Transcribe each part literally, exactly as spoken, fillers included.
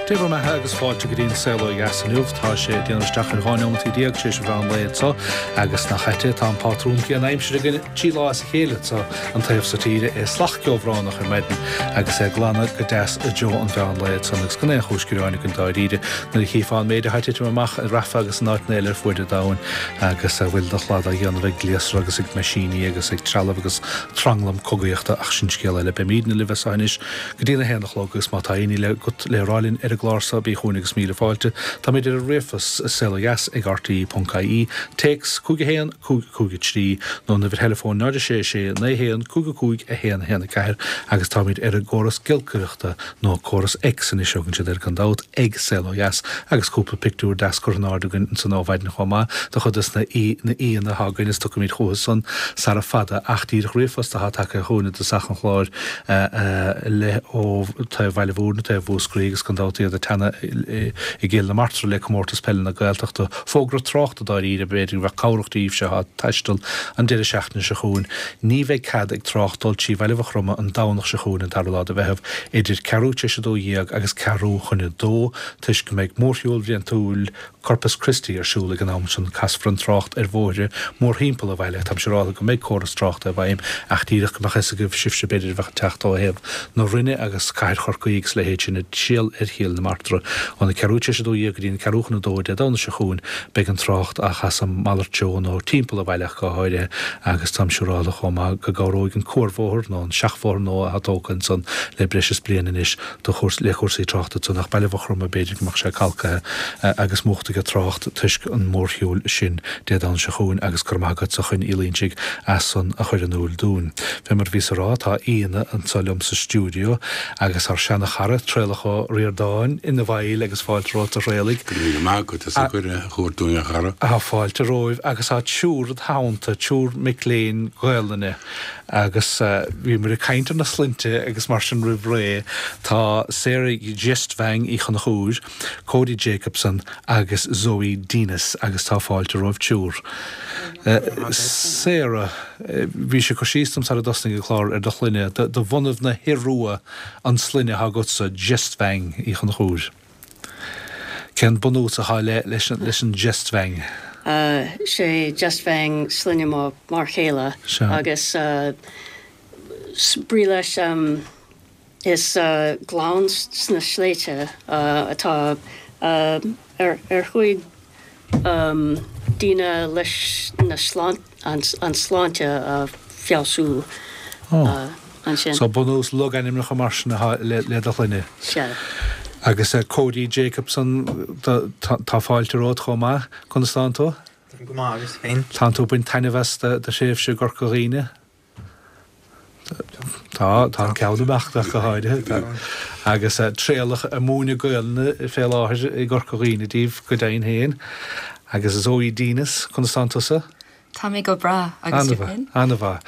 Dé bhur mbeatha agus fáilte go dtí an saol ó dheas inniu tá sé déanamh isteach ar dhá nóiméad déag tar éis an mheán lae anseo agus nach ait tá an pátrún céanna aimsire againn trí lá as a chéile anseo an taobh seo tíre é salach ceobhránach ar maidin agus é glanadh go deas i dtreo an mheán lae ansan agus gan aon chúis gearáin againn dáiríre nuair a chífeá an méid atá ag titim amach i Rafah agus in áiteanna eile ar fuaid an domhain agus a bhfuil de shlad á dhéanamh ag gléasra agus ag meaisíní agus ag trealamh agus tranglam cogaíochta ach sin scéal eile beimidne libh anseo anois go dtí a haon a chlog agus má tá aon ní agat le rá linn ar an gclár seo bí chugainn agus míle fáilte Táimid ar an ríomhphost saolodheas ag RTE ponc IE téacs cúig a haon cúig cúig a trí nó an uimhir theileafóin náid a sé sé naoi haon cúig a cúig a haon haon a ceathair agus táimid ar an gcóras giolcaireachta nó córas X anois thugann siad air gan dabht ag Saol Ó Dheas agus cúpla pictiúr deas curtha in airde againn ansan ó mhaidin chomh maith de chuid na na aíonna atá againn is tiocfaimid chucu san sara fada ach díreach ríomhphost atá tagtha chugainn i dtosach an chláir le ó taobh Bhaile Mhúirne taobh Mhúscraí agus gan dabht iad ag teannadh i gCill na Martra le comórtas peile na Gaeltachta fógra tráchta dáiríre b'fhéidir go bheadh cabhrach daoibhse atá ag taisteal an deireadh seachtaine seo chugainn. Ní bheidh cead ag trácht dul trí Bhaile Mhaigh Chromtha an Domhnach seo chugainn an dara lá de Mheitheamh idir ceathrú tar éis a dó dhéag agus ceathrú chun a dó toisc go mbeidh mórshiúl bhliantúil Corpus Christi ar siúl ag an am sin casfar an trácht ar bhóithre mórthimpeall an bhaile Tá siúráilte go mbeidh córas tráchta i bhfeidhm ach díreach go mbeadh fhios agaibh sibhse b'fhéidir a bheadh ag teacht ó thaobh na Rinne agus cathair Chorcaí agus leithéid sin ag triall ar Chill na Martra óna ceathrú tar éis a dó dhéag go dtí an ceathrú chun a dó Dé Domhnaigh seo chugainn beidh an trácht á chasadh malairt treo nó timpeall an bhaile go háirithe agus táim siúráilte chomh maith go gcabhróidh an cuarbhóthar nó an seachbhóthar nua atá tógtha ansan le breis is bliain anois do chúrs le cúrsaí tráchta ansan ach Baile Mhaigh Chromtha b'fhéidir go mbeadh sé calcaithe agus múchta ag trácht toisc an mórshiúil sin Dé Domhnaigh seo chugainn agus go raibh maith agat a Choinn Uí Loinsigh as san a chur in iúl dúinn. Fé mar bhíos a rá tá aíonna anseo liom sa stiúideo agus ár seana-chara Traolach Ó Ríordáin ina bhfeighil agus fáilte romhat a Thraolaigh. Go raibh maith agat as an gcuireadh a thabhairt dúinn a chara. Tá fáilte romhaibh agus tá triúr id theannta triúr mic léinn Gaelainne agus bhíomar ag caint ar na sloinnte agus mar sin roimh ré tá Sarah Gjestvang Uí Chonchúir, Cody Jacobson agus Zoe Denis agus tá fáilte romhaibh triúr. Sarah, bhí sé cur síos dom sara dtosnaigh an clár ar do shloinne, de bhunadh na hIorua an sloinne atá agatsa Gjestvang Uí Chonchúir. Cén bunús atá le leis leis an Gjestvang? sé Gjestvang sloinne mo m'fhear céile agus brí leis is gleann sna sléibhte atá ar ar chuaigh daoine leis na an sláinte a feabhsú ansin. So bunús logainmneacha mar sin atá le le do shloinne. Sea. Agus Cody Jacobson tá fáilte romhat chomh maith conas tánn tú? Go maith agus féin. Tánn tú ag baint taitneamh as do thréimhse i gCorca Dhuibhne? Tá tá an ceann amach go háirithe agus Traolach ag múineadh Gaelainne fé láthair i gCorca Dhuibhne daoibh go deimhin féin. Agus Zoe Denis conas tánn tusa? Tá mé go breá agus tú féin? An-mhaith.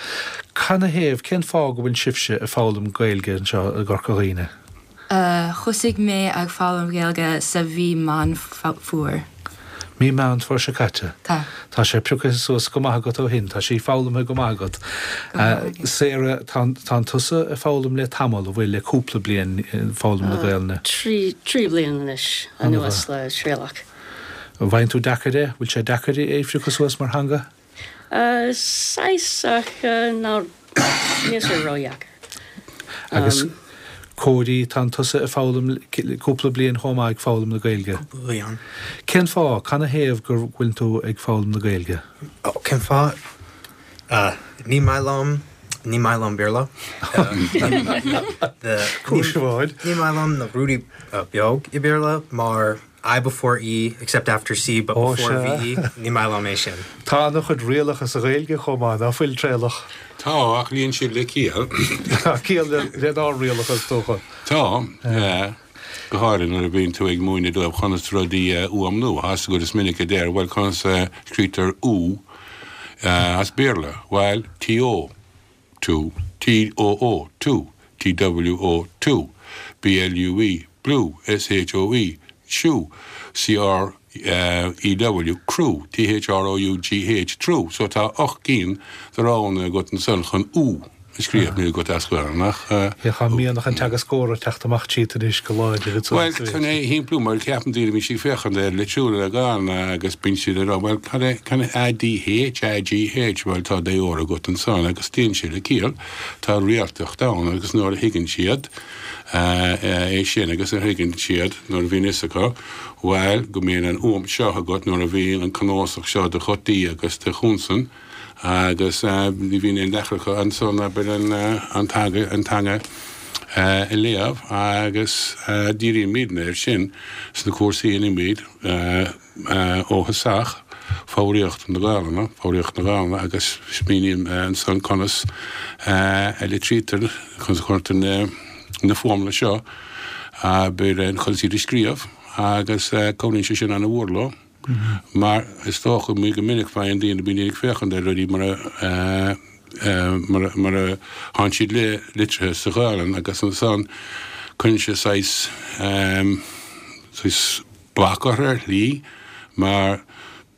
Canathaobh cén fáth go bhfuil sibhse ag foghlaim Gaeilge anseo i gCorca Dhuibhne? Thosaigh mé ag foghlaim Gaeilge sa mhí Meán Fómhair. Mí Meán Fómhair seo caite. Tá. Tá sé pioctha suas go maith agat ó shin, tá sí foghlamtha go maith agat. Sarah tá tusa ag foghlaim le tamall an bhfuil le cúpla bliain foghlaim na Gaelainne. Trí trí bliana anois anuas le Traolach. An bhfaigheann tú deacair é, bhfuil sé deacair é a phiocadh suas mar theanga? Saghas ach ná níl sé ródheacair. Agus Cody tá tusa ag foghlaim cúpla bliain chomh maith ag foghlaim na Gaeilge. Cúpla bliain. Cén fáth canathaobh go bhfuil tú ag foghlaim na Gaeilge? Cén fáth? Ní maith liom ní maith liom Béarla. Cúis amháin. Ní maith liom na rudaí beag i Béarla mar I before E except after C but before VE ní maith liom é sin. Tá an-chuid rialacha sa Ghaeilge chomh maith ná fuil Traolach. Tá ach níonn siad le ciall. Ciall lenár rialacha is dócha. Tá go háirithe nuair a bhíonn tú ag múineadh dóibh conas rudaí a fhuaimniú as go is minic a deir bhuel conas a scríobhtar U as Béarla bhuel TO two T O O two T W O two B L U E blue S H O E shoe C R E W crew T H R O U G H true so tá ocht gcinn de roghanna agat ansan chun U a scríobh, níl agat as Gaelainn ach. Tá mianach an teagascóra ag teacht amach tríot anois go láidir anso. Bhuel, chun é a shimpliú, mar ceapann daoine, bíonn siad ag féachaint ar litriú na Gaelainne agus bíonn siad ag rá, bhuel, cad é, cad é A D H, A G H, bhuel, tá défhoghair agat ansan agus téann sé le ciall, tá rialtacht ann agus nuair a thuigeann siad é sin agus nuair a thuigeann siad, nuair a bhíonn fhios acu, bhuel, go mbíonn an fhuaim seo agat nuair a bhíonn an cnuasach seo de ghutaí agus de chonsain, agus ní bhíonn aon deacracht acu ansan abair an teanga a léamh agus dírímidne air sin sna cúrsaí a dhéanaimid ó thosach, foghraíocht na Gaelainne, foghraíocht na Gaelainne agus míním ansan conas a litrítear, conas a chuirtear na fuaimeanna seo abair conas iad a scríobh agus cabhraíonn sé sin ana-mhór leo. Mar is dócha go minic faigheann daoine, bíonn daoine ag féachaint ar rudaí mar a mar a thánn siad litrithe sa Ghaelainn agus ansan cuireann sé saghas saghas bac orthu ar shlí mar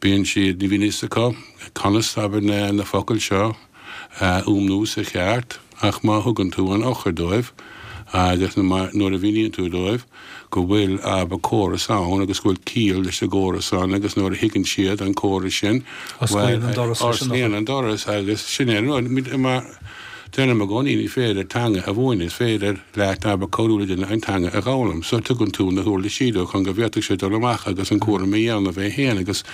bíonn siad, ní bhíonn fhios acu conas abair na focail seo a fhuaimniú sa cheart ach má thugann tú an eochair dóibh agus nuair a mhíníonn tú dóibh go bhfuil abair córas ann agus go bhfuil ciall leis an gcóras san agus nuair a thuigeann siad an córas sin, Osclaíonn an doras leis an osclaíonn an doras agus sin é an rud. Mar deirim i gcónaí ní féidir teanga a mhúineadh, is féidir leat abair cabhrú le duine an teanga a dh'fhoghlaim. So tugann tú na huirlisí dó chun go bhféadfadh sé dul amach agus an cúram a dhéanamh é féin agus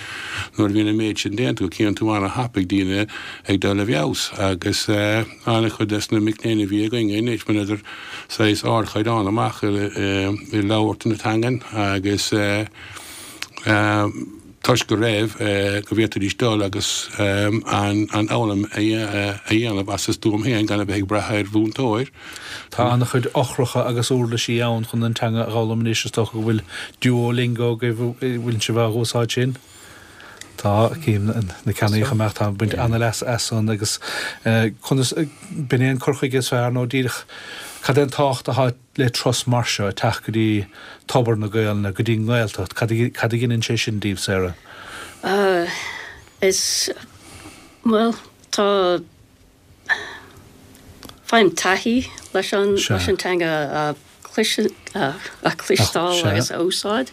nuair a bhíonn an méid sin déanta go cíonn tú ana-thapaidh daoine ag dul i bhfeabhas agus an-chuid des na mic léinn a bhí againn anois bhaineadar saghas ardchaighdeán amach i labhairt na teangan agus toisc go raibh, go bhféadfaidís dul agus an fhoghlaim a dhéanamh as a stuaim féin gan a bheith ag brath ar mhúinteoir. Tá an-chuid eochracha agus uirlisí ann chun an teanga a dh'fhoghlaim anois, is dócha go bhfuil Duolingo agaibh, bhfuil sibh á úsáid sin? Tá, cím na ceannaíocha amach, tá baint an-leas as san agus conas, b'in é an cur chuige is fearr nó díreach cad é an tábhacht atá le turas mar seo, teacht go dtí tobar na Gaelainne, go dtí an nGaeltacht, cad a ghineann sé sin daoibh, Sarah? Is, bhuel, tá, faighim taithí leis an, leis an teanga a a chloisteáil agus a úsáid.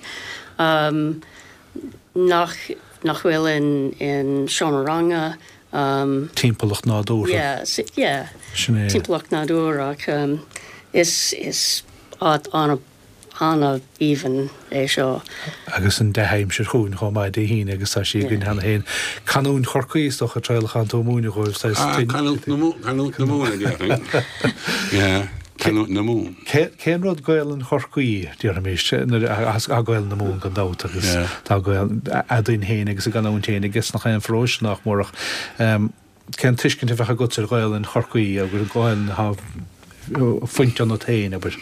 Nach nach bhfuil in in seomra ranga. Timpeallacht nádúrtha. Yeah, yeah. Sin é. Timpeallacht nádúrtha ach is is áit ana ana-aoibhinn é seo. Agus an dea-aimsir chugainn chomh maith Dé hAoine agus tá sí againn cheana féin. Canúint Chorcaí is dócha Traolach atánn tú ag múineadh dhóibh. Canúint na Mumhan a déarfainn. Yeah. Canúint na Mumhan. Cén rud Gaelainn Chorcaí, déarfaimis, nuair a tá Gaelainn na Mumhan gan dabht agus tá Gaelainn againn féin agus a gcanúint féin aige nach aon pharóiste nach mór ach cén tuiscint a bheadh agatsa ar Ghaelainn Chorcaí agus Gaelainn atá fuinte ionat féin, abair?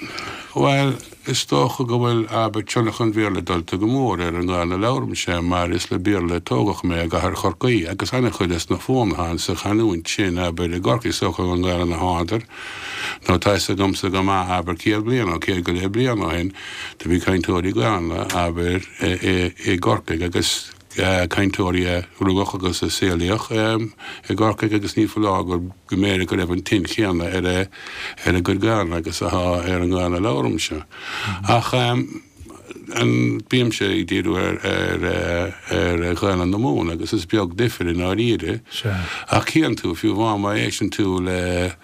Bhuel, is dócha go bhfuil, abair, tionchar an Bhéarla dulta go mór ar an nGaelainn a labhraímse mar is le Béarla a tógadh mé i gcathair Chorcaí agus an-chuid des na fuaimeanna atá sa chanúint sin, abair, i gCorcaigh, is dócha an Ghaelainn a thánadar nó tá fhios agamsa go maith, abair, céad bliain nó céad go leith bliain ó shin, do bhí cainteoirí Gaelainne, abair, i gCorcaigh agus cainteoirí a rugadh agus a saolaíodh i gCorcaigh agus ní foláir go mb'fhéidir go raibh an tuin chéanna ar a ar a gcuid Gaelainne agus atá ar an nGaelainn a labhraímse. Ach an bímse ag díriú ar ar ar Ghaelainn na Mumhan agus is beag difir i ndáiríre. Ach cíonn tú, fiú amháin má éisteann tú le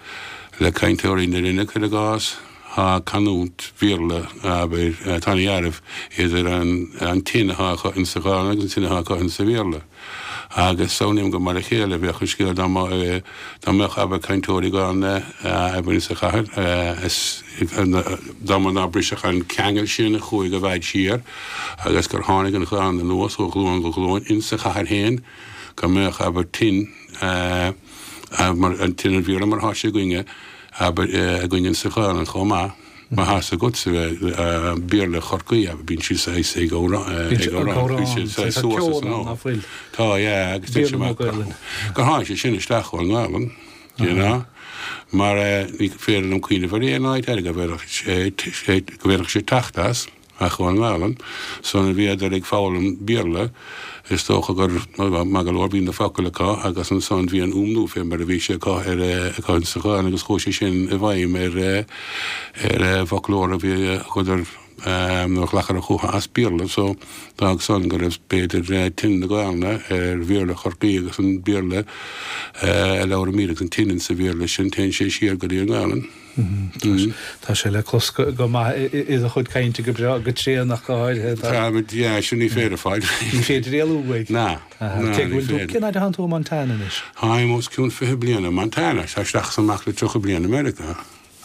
le cainteoirí na Rinne, cuir i gcás, Tá canúint Bhéarla, abair, tá ana-dhealramh idir an tuin atá acu insa Ghaelainn agus an tuin atá acu insa Bhéarla. Agus samhlaím gur mar a chéile a bheadh an scéal dá dá mbeadh, abair, cainteoirí Gaelainne, abair, insa chathair, dá mba nár briseadh an ceangal sin a chuaigh i bhfad siar agus gur tháinig an Ghaelainn anuas ó ghlúin go glúin insa chathair féin, go mbeadh, abair, tuin, mar, an tuin an Bhéarla mar atá sé againne, abair, againn insa Ghaelainn chomh maith, má tá fhios agatsa Béarla Chorcaí, abair, bíonn siad saghas ag amhrán, ag amhrán, bíonn siad saghas suas is anall. Tá, yeah, agus deir sé mar gur tháinig sé sin isteach ón nGaelainn, you know, mar ní féidir liom cuimhneamh ar aon áit eile go bhféadfadh sé, go bhféadfadh sé teacht as. ach ón nGaelainn. So nuair a bhíodar ag foghlaim Béarla, is dócha gur maith go leor bhí na focail acu agus ansan bhí an fhuaimniú fé mar a bhí sé acu ar acu sa Ghaelainn agus chuaigh sé sin i bhfeidhm ar ar an bhfoclóir a bhí acu nuair a ghlacadar chucu as Béarla. So d'fhág san go raibh b'fhéidir tuin na Gaelainne ar Bhéarla Chorcaí agus an Béarla a labhraímid agus an tuin sa Bhéarla sin téann sé siar go dtí an Ghaelainn. Tá sé le clos go maith i do chuid cainte go breá go tréan ach go háirithe. Tá, yeah, sin ní féidir fáil. Ní féidir éalú uaidh. Ná, ná, Cé ní go bhfuil tú, féidir. cén fhad a thánn tú i Montana anois? Táim os cionn fiche bliain i Montana, tá isteach is amach le tríocha bliain i Meiriceá.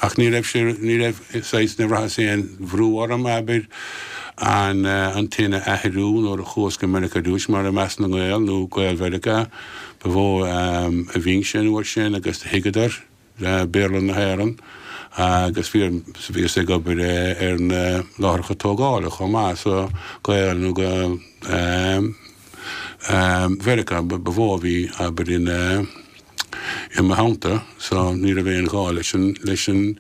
Ach ní raibh sé, ní raibh, saghas, ní bhraitheas aon bhrú orm, abair, an, an tuin a athrú nuair a chuas go Meiriceá ar dtús, mar i measc na nGael nó Gaeil Mheiriceá ba mhó a bhínnse an uair sin agus thuigeadar Béarla na hÉireann agus bhí, bhíos ag obair ar na láithreacha tógála chomh maith, so Gaeil nó Gaeil Mheiriceá ba mhó a bhí, abair, in. I mo theannta so ní raibh aon ghá leis an, leis an,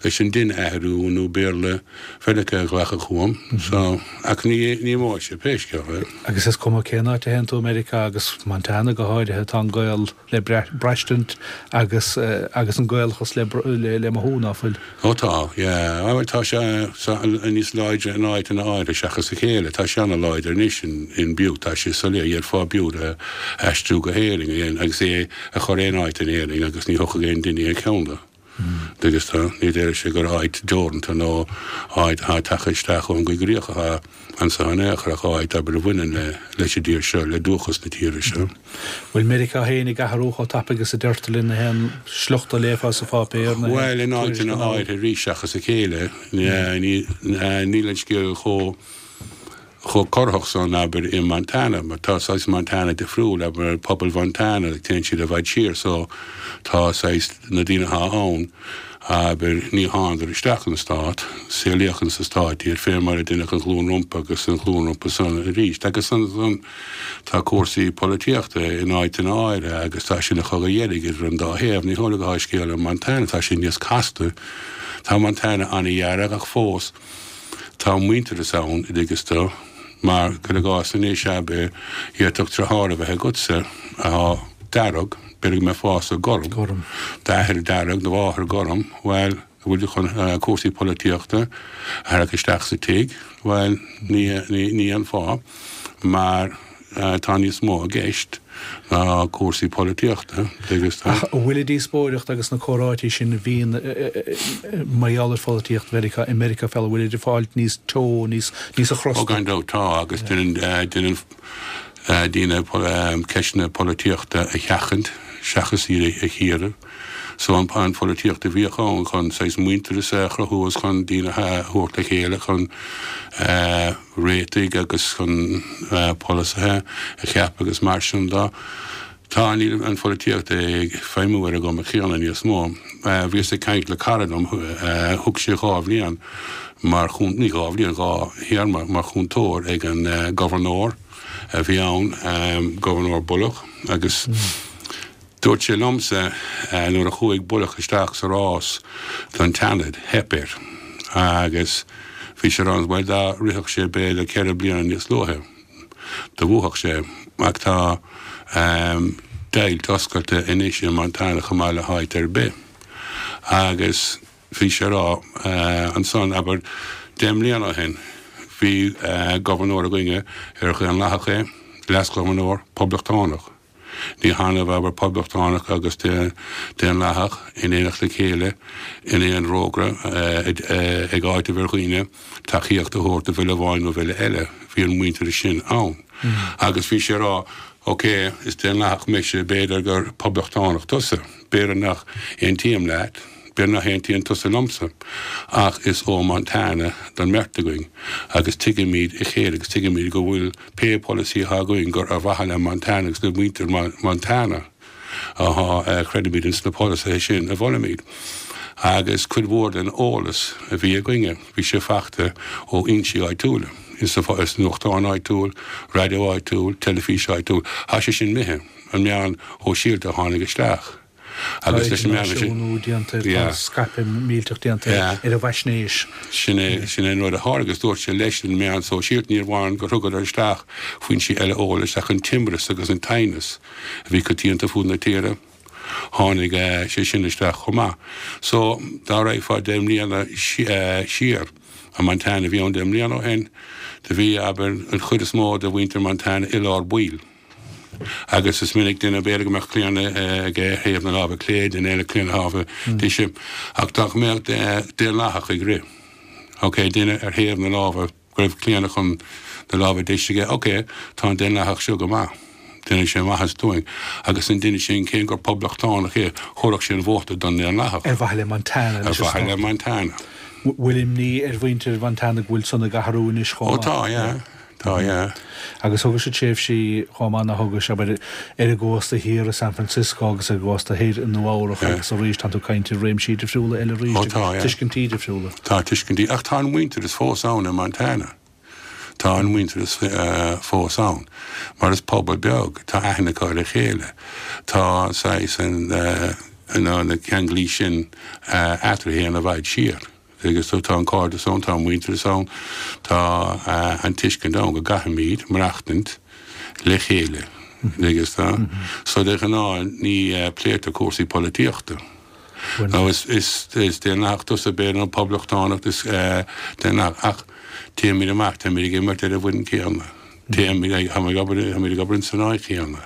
leis an dtuin a athrú nó Béarla Mheiriceá a ghlacadh chugam so, ach ní, ní imeoidh sé pé scéal é. Agus is cuma cén áit a théann tú i Meiriceá agus Montana go háirithe, tá an Gael le braistint agus, agus an Gaelachas le, le, le mothú, ná fuil? Ó tá, yeah. Bhuel tá sé níos láidre in áiteanna áirithe seachas a chéile. Tá sé ana-láidir anois in Butte, tá sé soiléir, d'fhéadfá Butte a aistriú go hÉirinn agus é a chur aon áit in Éirinn agus ní thiocfadh aon duine aon cheann de. Agus tá, ní déarfadh sé gur áit deoranta nó áit atá tagtha isteach ón gcoigríoch atá anso in aon chor ach áit abair a bhaineann le leis an dtír seo, le dúchas na tíre seo. Bhfuil Meiriceá féin ag athrú chomh tapaidh is a deirtear linn na haon sliocht a léifeá sa pháipéar na haon Bhuel, in tuairisc áiteanna anall? áirithe arís seachas a chéile, níl an scéal chomh chomh corraitheach san, abair, i Montana, mar tá saghas Montana difriúil, abair, pobal Mhontana, téann siad i bhfad siar, so tá saghas na daoine atá ann, abair, ní thánadar isteach an stát, saolaíodh insa stát iad, fé mar a deineadh an ghlúin rompu agus an ghlúin rompu san arís. Agus ansan tá cúrsaí polaitíochta in áiteanna áirithe agus tá sé ina chogadh dheirg idir an dá thaobh. Ní hamhlaidh atá scéal i Montana, tá sé níos casta. Tá Montana an-dhearg ach fós Tá muintearas ann, i dtuigeas tú, mar, cuir i gcás, anois, abair, d'fhéadfadh deartháir a bheith agatsa atá dearg, b'fhéidir go mbeifeása gorm, Gorm. d'athair dearg, do mháthair gorm, bhuel, an bhfuil tú chun cúrsaí polaitíochta a tharrac isteach sa tigh? Bhuel, ní, ní, ní dhéanfá, mar tá níos mó i gceist ná cúrsaí polaitíochta, agus tá. Ach an bhfuil an díospóireacht agus na comhráití sin a bhíonn mar gheall ar pholaitíocht Mheiriceá i Meiriceá féin, an bhfuil ag fáilt níos teo, níos níos Ó achrosta? gan dabht tá, agus déanann déanann daoine ceisteanna polaitíochta a sheachaint seachas iad a chíoradh. So an an pholaitíocht a bhíodh ann chun saghas muintearas a chruthú is chun daoine a thabhairt le chéile chun réitigh agus chun polasaithe a cheapadh agus mar sin de. Tá, níl an pholaitíocht ag feidhmiú ar an gcuma chéanna níos mó. Bhíos ag caint le cara liom, thug sé dhá bhliain mar chúnt, ní dhá bhliain, dhá théarma mar chúntóir ag an gobharnóir a bhí ann, Gobharnóir Bullock, agus dúirt sé liomsa nuair a chuaigh Bullock isteach sa rás don tSeanad, theip air agus bhí sé ann, bhuel dá rithfeadh sé b'fhéidir ceithre bliana níos luaithe, do bhuafadh sé. Ach tá deighilt oscailte anois i Montana chomh maith le háit ar bith. Agus bhí sé a rá ansan, abair, deich mbliana ó shin, bhí gobharnóir againne ar Dhaonlathach é, leas-ghobharnóir, Poblachtánach. Ní hannamh, abair, Poblachtánach agus Daonlathach in éineacht le chéile in aon fhorógra ag áiteamh ar dhaoine tacaíocht a thabhairt do bhille amháin nó bhille eile. Bhí an muintearas sin ann. Agus bhí sé a rá, Ok, is Daonlathach mise, b'fhéidir gur Poblachtánach tusa, b'fhéidir nach aontaím leat, b'fhéidir nach aontaíonn tusa liomsa, ach is ó Montana don mbeirt againn agus tuigimid a chéile agus tuigimid go bhfuil pé polasaí atá againn gur ar mhaithe le Montana agus le muintir Montana atá, creidimid ins na polasaithe sin a mholaimid. Agus cuid mhór den eolas a bhí againne, bhí sé faighte ó fhoinsí áitiúla, sa nuachtán áitiúil, raidió áitiúil, teilifís áitiúil. Tá sé sin imithe, an meáin shóisialta a tháinig isteach. Agus leis an meán sin déanta scaipeadh millteach déanta ar an bhfaisnéis. Sin é sin é an rud a tharla agus dúirt sé leis an meán sóisialta ní amháin gur thugadar isteach foinsí eile eolais ach an t-imreas agus an t-aighneas a bhí coitianta fud na tíre. Tháinig sé sin isteach chomh maith. So dá raghfá deich mbliana siar i Montana bhí ann deich mbliana ó shin, do bhí, abair, an chuid is mó de mhuintir Montana i lár baill. Agus is minic duine, b'fhéidir go mbeadh claonadh aige ar thaobh na láimhe clé, duine eile claonadh láimhe deise, ach dá mbeadh Daonlathach ag rith, ok, duine ar thaobh na láimhe, go raibh claonadh chun na láimhe deise aige, ok, tá an Daonlathach seo go maith, déanfaidh sé maitheas dúinn. Agus an duine sin, cé gur Poblachtánach é, thabharfadh sé an vóta don nDaonlathach. Ar mhaithe le Montana. Ar mhaithe le Montana. Bhfuil imní ar mhuintir Mhontana go bhfuil san ag athrú anois chomh maith? Ó tá, yeah. Tá, yeah. Agus thugais tréimhsí chomh maith, thugais, abair, ar an gcósta thiar i San Francisco agus ar an gcósta thoir i Nua Eabhrac agus arís tá tú ag caint ar réimsí difriúla eile arís Ó tá, yeah. Tuiscintí difriúla. Tá tuiscintí, ach tá an muintearas fós ann i Montana. Tá an muintearas fós ann. Mar is pobal beag, tá aithne acu ar a chéile. Tá saghas an, na ceanglais sin eatarthu i bhfad siar. Agus tá an cairdeas ann, tá an muintearas ann, tá an tuiscint ann go gcaithfimid maireachtaint le chéile. Agus tá. So de ghnáth ní pléitear cúrsaí polaitíochta. Nó is is Daonlathach tusa b'fhéidir nó Poblachtánach is Daonlathach ach téimid amach, táimid ag imirt ar an bhfoireann céanna. Téimid ag, táimid ag obair, táimid ag obair in san áit chéanna.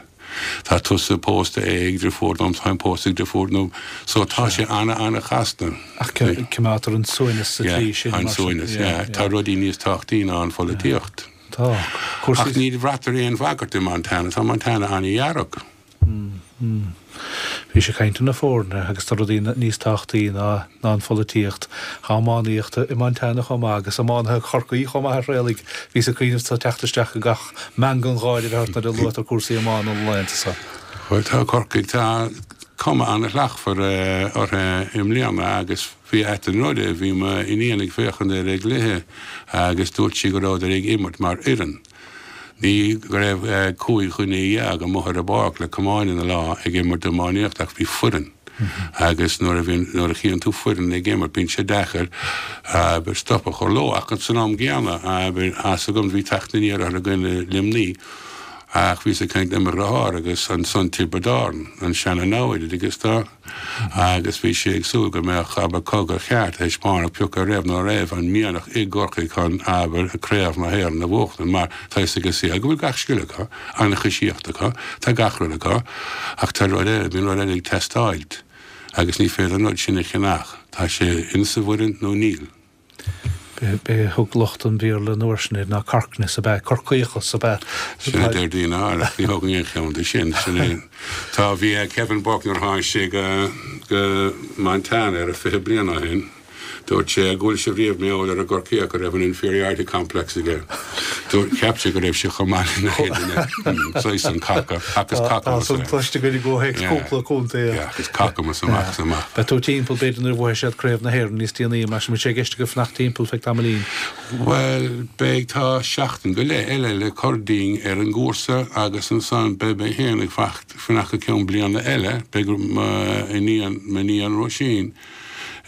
Tá tusa pósta ag deirfiúr dom, táim pósta ag deirfiúr nó so tá sé ana ana chasta. Ach coimeádtar an suaimhneas sa tslí sin. An suaimhneas, yeah. Tá rudaí níos tábhachtaí ná an pholaitíocht. Tá. Ach ní bhraitear aon bhagairt i Montana, tá Montana ana-dhearg. Bhís ag caint ar na foirne agus tá rudaí níos tábhachtaí ná ná an pholaitíocht. Tá iománaíocht i Montana chomh maith agus iománaithe Chorcaí chomh maith a Thraolaigh. Bhíos ag cuimhneamh tá teacht isteach i gach meangadh gáire a bheith ort nuair a luaitear cúrsaí iomána na laethanta seo. Bhuel tá Corcaigh, tá cuma an-shlachtmhar orthu i mbliana agus bhí ait an rud é, bhí m'iníon ag féachaint ar an gcluiche agus dúirt sí go rabhadar ag imirt mar fhoireann. Ní go raibh cúig dhuine dhéag amuigh ar an bpáirc le camáin ina lámh ag imirt iománaíocht ach bhí foireann agus nuair a bhíonn, nuair a chíonn tú foireann ag imirt bíonn sé deacair, abair, stop a chur leo ach san am gcéanna, abair, tá 's agam bhí teacht aniar orthu i gcoinne Luimní ach bhíos ag caint le mo dheartháir agus ansan Tiobraid Árann, an seana-namhaid agus tá. Agus bhí sé ag súil go mbeadh, abair, cogadh ceart a thaispeánadh pé acu raibh nó raibh an mianach i gCorcaigh chun, abair, Craobh na hÉireann a bhuachtain, mar tá fhios ag an saol go bhfuil gach scil acu, an-choisíocht acu, tá gach rud acu, ach tá rud eile, bíonn rud eile ag teastáilt agus ní féidir an rud sin a cheannach, tá sé insa bhfoireann nó níl. B'é a thug lucht an Bhéarla an uair sin air ná Corkness ab ea, Corcaíochas ab ea. Sin a deir daoine áirithe, ach ní thógaim aon cheann de sin. Sin é. Tá, bhí Kevin Burke nuair a tháinig sé go, go Montana ar a fiche bliain ó shin, dúirt sé go bhfuil sibh riamh mar gheall ar an gCorcaíoch go raibh an inferiority complex aige. Dúirt, cheap sé go raibh sé chomh maith lena chéile, saghas an caca, ach is Tá cacamas san é. cloiste againn i gcomhthéacs Yeah. cúpla contae. Yeah, ach is cacamas amach is amach. Beidh tú timpeall b'fhéidir nuair a bhuafaidh siad Craobh na hÉireann níos déanaí, mar sin bhfuil sé i gceist agat fanacht timpeall feadh tamaillín? Bhuel, beidh, tá seachtain go leith eile le cur dínn ar an gcúrsa agus ansan beidh mé féin ag fanacht go ceann bliana eile, beidh m'iníon, m'iníon Róisín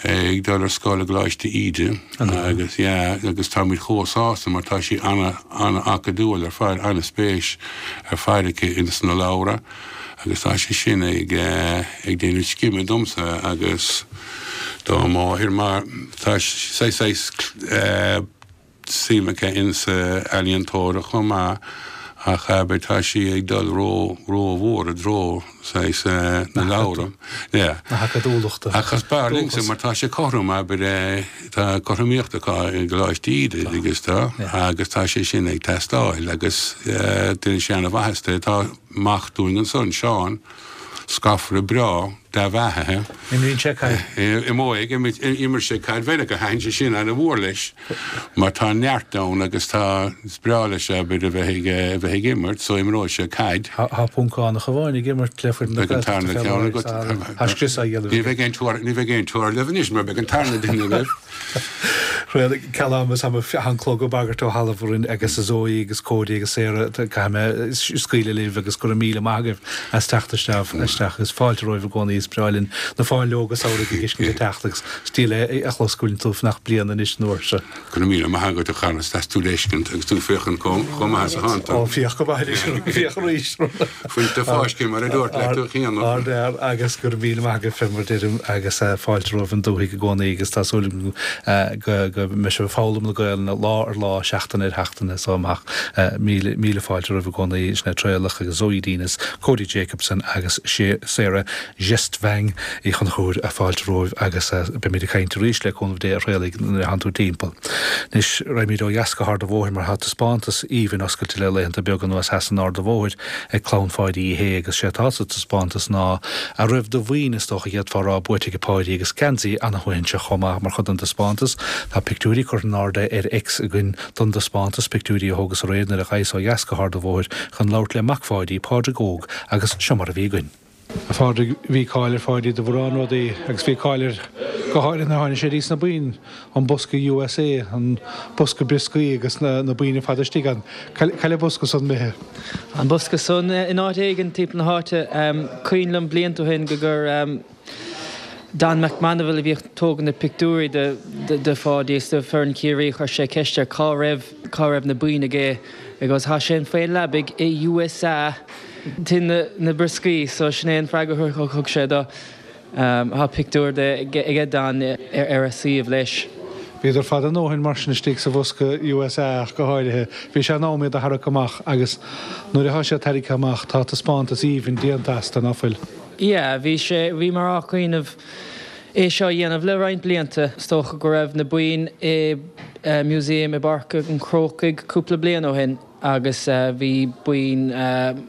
ag dul ar scoil i gColáiste Íde agus yeah agus táimid chomh sásta mar tá sí ana ana acadúil ar fad, ana spéis ar fad aici ins na leabhra agus tá sé sin ag ag déanamh scime domsa agus dá máthair mar tá saghas saghas eh suim aici insa ealaíontóireacht chomh maith ach abair tá sí ag dul ró rómhór i dtreo saghas na leabhra. Yeah. Na hacadúlachta. Ach is b'fhearr liomsa mar tá sé cothrom abair tá cothromaíocht acu i gColáiste Íde agus tá agus tá sé sin ag teastáil agus déanann sé ana-mhaitheas di. Tá mac dúinn ansan, Seán, scafaire breá, dea-bheathaithe. Imríonn sé caid. Imreoidh, imir sé caid Mheiriceá, thaitin sé sin ana-mhór leis mar tá neart ann agus tá, is breá leis abair a bheith ag, a bheith ag imirt so imreoidh sé caid. Tá Poncánach amháin ag imirt le foireann na Beidh an Gaeltachta tarna fé ceann láthair, agat. tá scrios á dhéanamh Ní aige. bheidh aon tuar, ní bheidh aon tuar libh anois mar beidh an tarna duine libh. Ceal ama is an clog ag bagairt ó thalamh orainn agus a Zoe agus Cody agus Sarah caithfidh mé scaoileadh libh agus go raibh míle maith agaibh as teacht isteach isteach is fáilte romhaibh i gcónaí is breá linn na fáinleoga samhraidh ag uisce teacht agus stíl é a chlos go bhfuil tú fanacht bliain anois an uair seo. Go raibh míle maith agat a Charles as tú leiscint agus tú féachaint chomh maith is atánn tú. Ó féach go maith anois féach arís. Fuinte fáiscthe mar a dúirt le tú cheana. Ardfhear agus go raibh míle maith agaibh fé mar a deirim agus fáilte romhaibh an dúthaigh i gcónaí agus tá súil agam go go mbeidh sibh ag foghlaim na Gaelainne lá ar lá, seachtain ar sheachtain is amach. Míle míle fáilte romhaibh i gcónaí, Sinéad Traolach agus Zoe Denes, Cody Jacobson agus Sarah Gjestvang Uí Chonchúir, fáilte romhaibh agus beimid ag caint arís le cúnamh Dé a Thraolaigh nuair a thánn tú timpeall. Anois raghaimid ó dheas go hArd an Bhóthair mar tá taispeántas aoibhinn oscailte le laethanta beaga anuas theas in Ard an Bhóthair ag clann Pháidí Uí Shé agus sé atá sa taispeántas ná a raibh de mhaoin is dócha a d'fhéadfá a rá buaite ag Páidí agus geansaí ana-shuaithinseach chomh maith mar chuid den taispeántas. Tá pictiúirí curtha in airde ar X againn don dtaispeántas, pictiúirí a thógas aréir nuair a ghabhas ó dheas go hArd an Bhóthair chun labhairt le mac Pháidí, Pádraig Óg, agus seo mar a bhí againn. A Phádraig, bhí cáil ar Pháidí do mhórán rudaí agus bhí cáil air go háirithe nuair a tháinig sé dtí sna boinn, an bosca USA, an bosca brioscaí agus na na boinn ar fad istigh ann. Cá bhfuil an bosca san imithe? An bosca san in áit éigin timpeall na háite. Cuimhin liom blianta ó shin go gur Don McManaville a bhíodh ag tógaint na pictiúirí de de Pháidí is de foireann Chiarraí chuir sé ceist air cá raibh cá raibh na boinn aige agus tá sé faoin leabaidh i USA tinn na na brioscaí so sin é an freagra a thug sé dó. Tá pictiúr de aige Don ar ar a suíomh leis. Bhíodar fada a ndóthain mar sin istigh sa bhosca USA ach go háirithe. Bhí sé in am iad a tharrac amach agus nuair atá siad tarraicthe amach tá taispeántas aoibhinn déanta astu, ná fuil? Yeah, bhí sé, bhíomar á cuimhneamh é seo a dhéanamh le roinnt blianta. Is dócha go raibh na boinn i museum i bPáirc an Chrócaigh cúpla bliain ó shin agus bhí boinn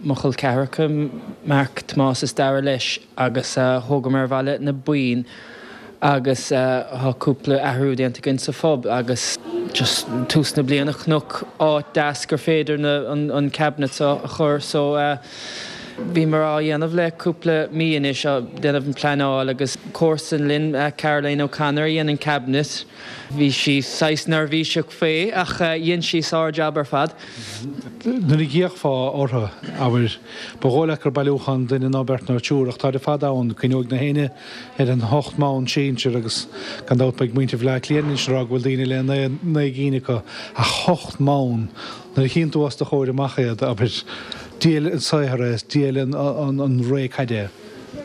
mo chol ceathracha, Mark, Tomás is Dara leis agus thógamar abhaile na boinn agus tá cúpla athrú déanta againn sa phub agus just tús na bliana chonac áit deas gur féidir na an cabinet seo a chur so bhíomar á dhéanamh le cúpla mí anois á déanamh an pleanáil agus comharsan linn Caroline O'Connor a dhein an cabinet bhí sí saghas neirbhíseach faoi ach dhein sí sár-jab ar fad. Nuair a d'fhéachfá orthu, abair, ba dhóigh leat gur bailiúchán duine nó beirt nó triúr ach táid ar fad ann, cuimhneoidh na héinne ar an hocht mbonn sinsir agus gan dabht beidh muintir Bhaile Átha Cliath anois ag rá go bhfuil daoine le naoi naoi gcinn acu ach hocht mbonn, nuair a chíonn tú os do chomhair amach iad, abair, diail an saothar é is diail an an an ré caide é.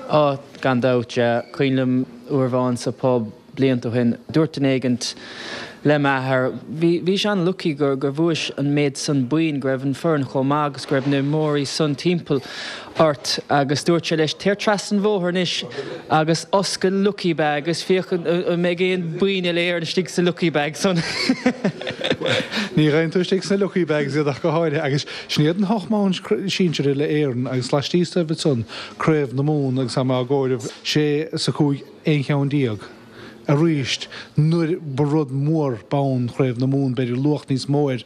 Á, gan dabht, yeah. Cuimhin liom uair amháin sa pub blianta ó shin, dúirt duine éigint le m'athair, bhí, bhí sé an-lucky gur, gur bhuais an méid san boinn, go raibh an foireann chomh maith agus go raibh na imreoirí san timpeall ort agus dúirt sé leis, téir trasna an bhóthair anois agus oscail lucky bag agus féach an, an mbeidh aon boinn uile Éireann istigh sa lucky bag san. Ní gheibheann tú istigh sna lucky bags iad ach go háirithe agus sin iad an hocht mbonn sinsir uile Éireann agus laistíos dóibh ansan Craobh na Mumhan agus tá mé á gcomhaireamh sé is a cúig aon cheann déag. Arís, nuair ba rud mór bonn Chraobh na Mumhan, b'fhéidir luach níos mó air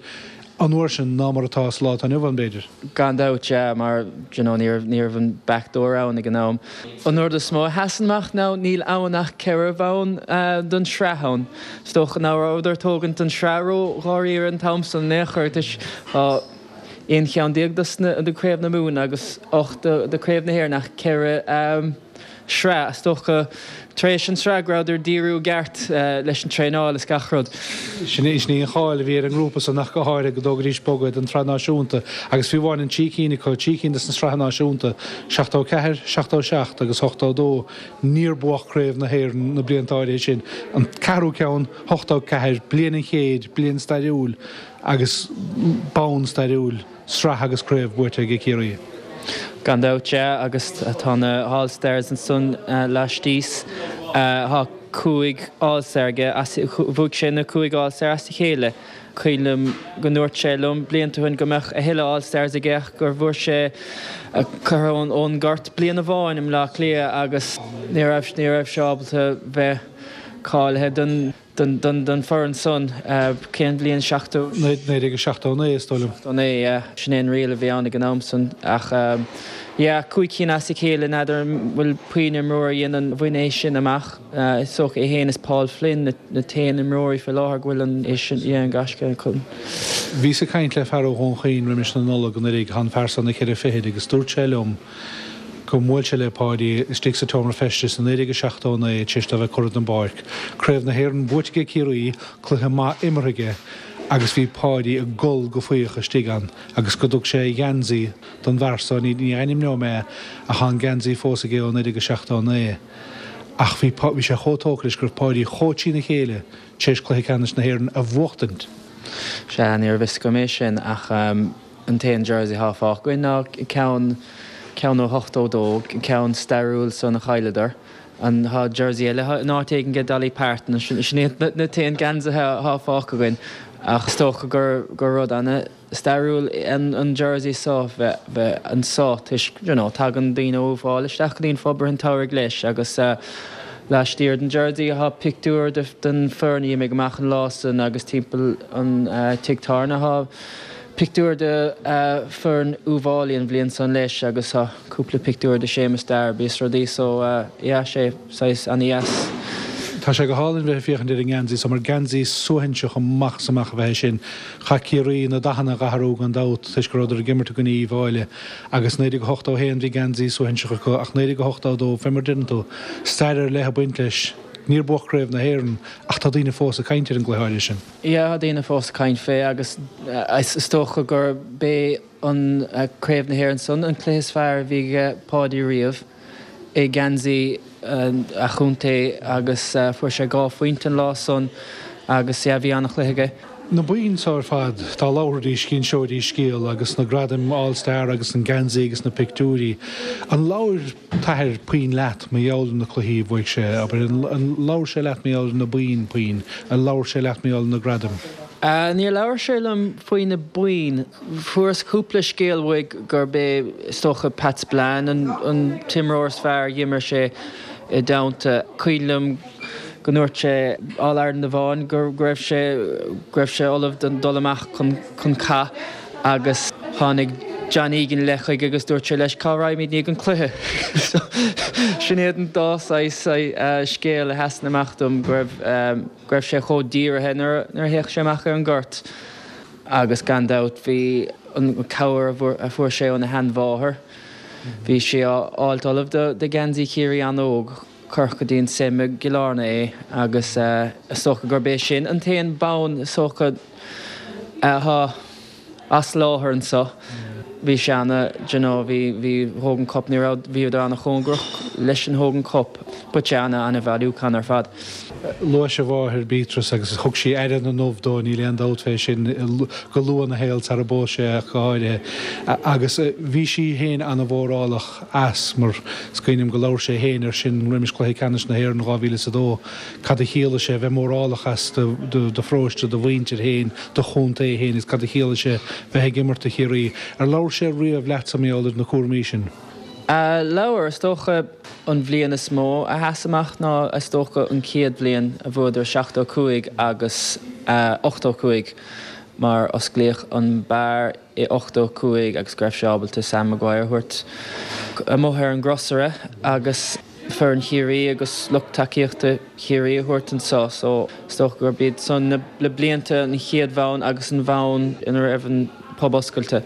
an uair sin ná mar atá sa lá atá inniu ann, b'fhéidir. Gan dabht, yeah, mar you know, ní raibh, ní raibh an back door ann ag an am. An rud is mó a sheasann amach ná níl ann ach ceithre bhonn don sraith ann. Is dócha ná rabhadar ag tógaint an sraith ró-dháiríre an t-am san in aon chor, toisc tá aon cheann déag dos na, de Craobh na Mumhan agus ocht de, de Craobh na hÉireann ach ceithre sraith. Is dócha tar éis an sraith go rabhadar díriú i gceart leis an traenáil is gach rud. Sin í an cháil a bhí ar an ngrúpa san ach go háirithe go dtógaidís bogadh don tsraith náisiúnta agus fiú amháin an trí cinn acu, trí cinn de na sraithe náisiúnta, seachtó ceathair, seachtó seacht agus ochtó dó, níor buadh Craobh na hÉireann na blianta áirithe sin. An ceathrú ceann, ochtó ceathair, bliain an chéid, bliain stairiúil agus bonn stairiúil, sraith agus craobh buaite ag Ciarraí. Gan dabht, sea, agus tá na hAll Stars ansan laistíos. Tá cúig All Star aige, bhuaigh sé na cúig All Star as a chéile. Cuimhin liom go ndúirt sé liom blianta ó shin go mbeadh a thuilleadh All Stars aige ach gur bhfuair sé curtha ón ngort bliain amháin i mBleá Cliath agus ní raibh ní raibh sé ábalta bheith cáilithe don don foireann san. Cén bhliain? Seachtó. Naoi déag seachtó naoi, is dóigh liom. Seachtó naoi, yeah. Sin é an riail a bhí ann ag an am san ach Yeah, cúig cinn as a chéile n'fheadar an bhfuil puinn imreoir a dhéanann bhain é sin amach. Is dócha é féin is Paul Flynn na na t-aon imreoirí faoi láthair go bhfuil an é sin yeah, an gaisce acu. Bhíos ag caint le fear ó Dhún Chaoin roimis na Nollag anuraidh, tá an fear san na ceithre fichid agus dúirt sé liom go mbuail sé le Páidí istigh sa tseomra feistis i naoi déag a seachtó a naoi tar éis dó a bheith curtha den bpáirc. Craobh na hÉireann buaite ag Ciarraí, cluiche maith imeartha aige agus bhí Páidí ag gol go faíoch istigh ann agus go dtug sé a gheansaí don bhfear so, ní ainmneoidh mé é ach tá an geansaí fós aige ó naoi déag a seachtó a naoi. Ach bhí bhí sé chomh tógtha leis go raibh Páidí chomh trína chéile tar éis cluiche ceannais na hÉireann a bhuachtaint. Sea, ní raibh fhios agam é sin ach an t-aon jersey atá fágtha againn ná ceann ceann ó hochtó dó, ceann stairiúil san a chailleadar. An tá jersey eile in áit éigin ag Dolly Parton, sin iad na t-aon geansaithe atá fágtha againn. Ach is dócha gur gur rud ana stairiúil an an jersey seo bheith bheith anso toisc you know tagann daoine ó Uíbh Fhailí isteach go dtí an phub i rith an tsamhraidh leis agus laistiar den jersey tá pictiúr de den foireann a d'imigh amach an lá san agus timpeall an tigh tábhairne tá pictiúr de foireann Uíbh Fhailí an bhliain san leis agus tá cúpla pictiúr de Séamus Darby is rudaí so yeah sé saghas ana-dheas. Tá sé go hálainn bheith ag féachaint ar an ngeansaí so mar geansaí suaithinseach amach is amach a bheith é sin. Chaith Ciarraí na dathanna a dh'athrú gan dabht toisc go rabhadar ag imirt i gcoinne Uíbh Fhailí agus naoi déag a hochtó a haon bhí geansaí suaithinseach acu ach naoi déag a hochtó a dó fé mar a deireann tú, stair ar leith ag baint leis. Níor buadh Craobh na hÉireann ach tá daoine fós ag caint ar an gcluiche áirithe sin. Yeah, tá daoine fós ag caint fé agus is dócha gur b'é an Craobh na hÉireann san an cluiche is fearr a bhí ag Páidí riamh i ngeansaí a chontae agus fuair sé dhá phointe an lá san agus yeah bhí an-chluiche aige. Na boinn so ar fad, dá labhraidís d'inseoidís scéal agus na gradaim All Star agus an geansaí agus na pictiúirí. An labhair t'athair puinn leat mar gheall ar na cluichí a bhuaigh sé, abair, an labhair sé leat mar gheall ar na boinn puinn, an labhair sé leat mar gheall ar na gradaim? Níor labhair sé liom faoi na boinn. Fuaireas cúpla scéal uaidh gurb é is dócha Pat Spillane an an t-imreoir is fearr a d'imir sé i dteannta. Cuimhin liom go ndúirt sé All Ireland amháin go raibh sé go raibh sé ullamh don dul amach chun chun cath agus tháinig John Egan le chuige agus dúirt sé leis cá raghaimid i ndiaidh an cluiche. So sin iad an dá saghas scéal a sheasann amach dom go raibh go raibh sé chomh dírithe nuair nuair a théadh sé amach ar an ngort agus gan dabht bhí an cabhair a fuair sé óna sheanmháthair. Bhí sé á fháilt ullamh do do gheansaí Chiarraí an-óg. Cuireadh go dtí an SEM i gCill Airne é agus is dócha gurb é sin an t-aon bonn is dócha atá as láthair anso. Bhí sé ana, d'you know, bhí, bhí Hogan Cup, ní raibh, bhíodar ana-chóngarach leis an Hogan Cup but sé ana, ana-bhailiúchán ar fad. Luais a mháthair Beatrice agus thug sí aire na ndubh dó, níl aon dabht fé sin, go luath ina shaol sara bpós sé ach go háirithe. Agus bhí sí féin ana-mhórálach as mar is cuimhin liom go labhair sé féin air sin roimis Cluiche Ceannais na hÉireann dhá mhíle is a dó, cad a chiallaigh sé bheith mórálach as do do pharóiste, do mhuintir féin, do chontae féin agus cad a chiallaigh sé bheith ag imirt do Chiarraí. Ar labhair sé riamh leatsa mar gheall ar na cúraimí sin? Labhair, is dócha an bhliain is mó a sheas amach ná is dócha an chéad bhliain a bhuadar seachtó cúig agus ochtó cúig mar osclaíodh an beár i ochtó cúig agus go raibh sé ábalta Sam Maguire a thabhairt amuigh ar an gcrosaire agus foireann Chiarraí agus lucht tacaíochta Chiarraí a thabhairt anso so is dócha gurb iad san na blianta an chéad bhonn agus an bhonn ina raibh an pub oscailte.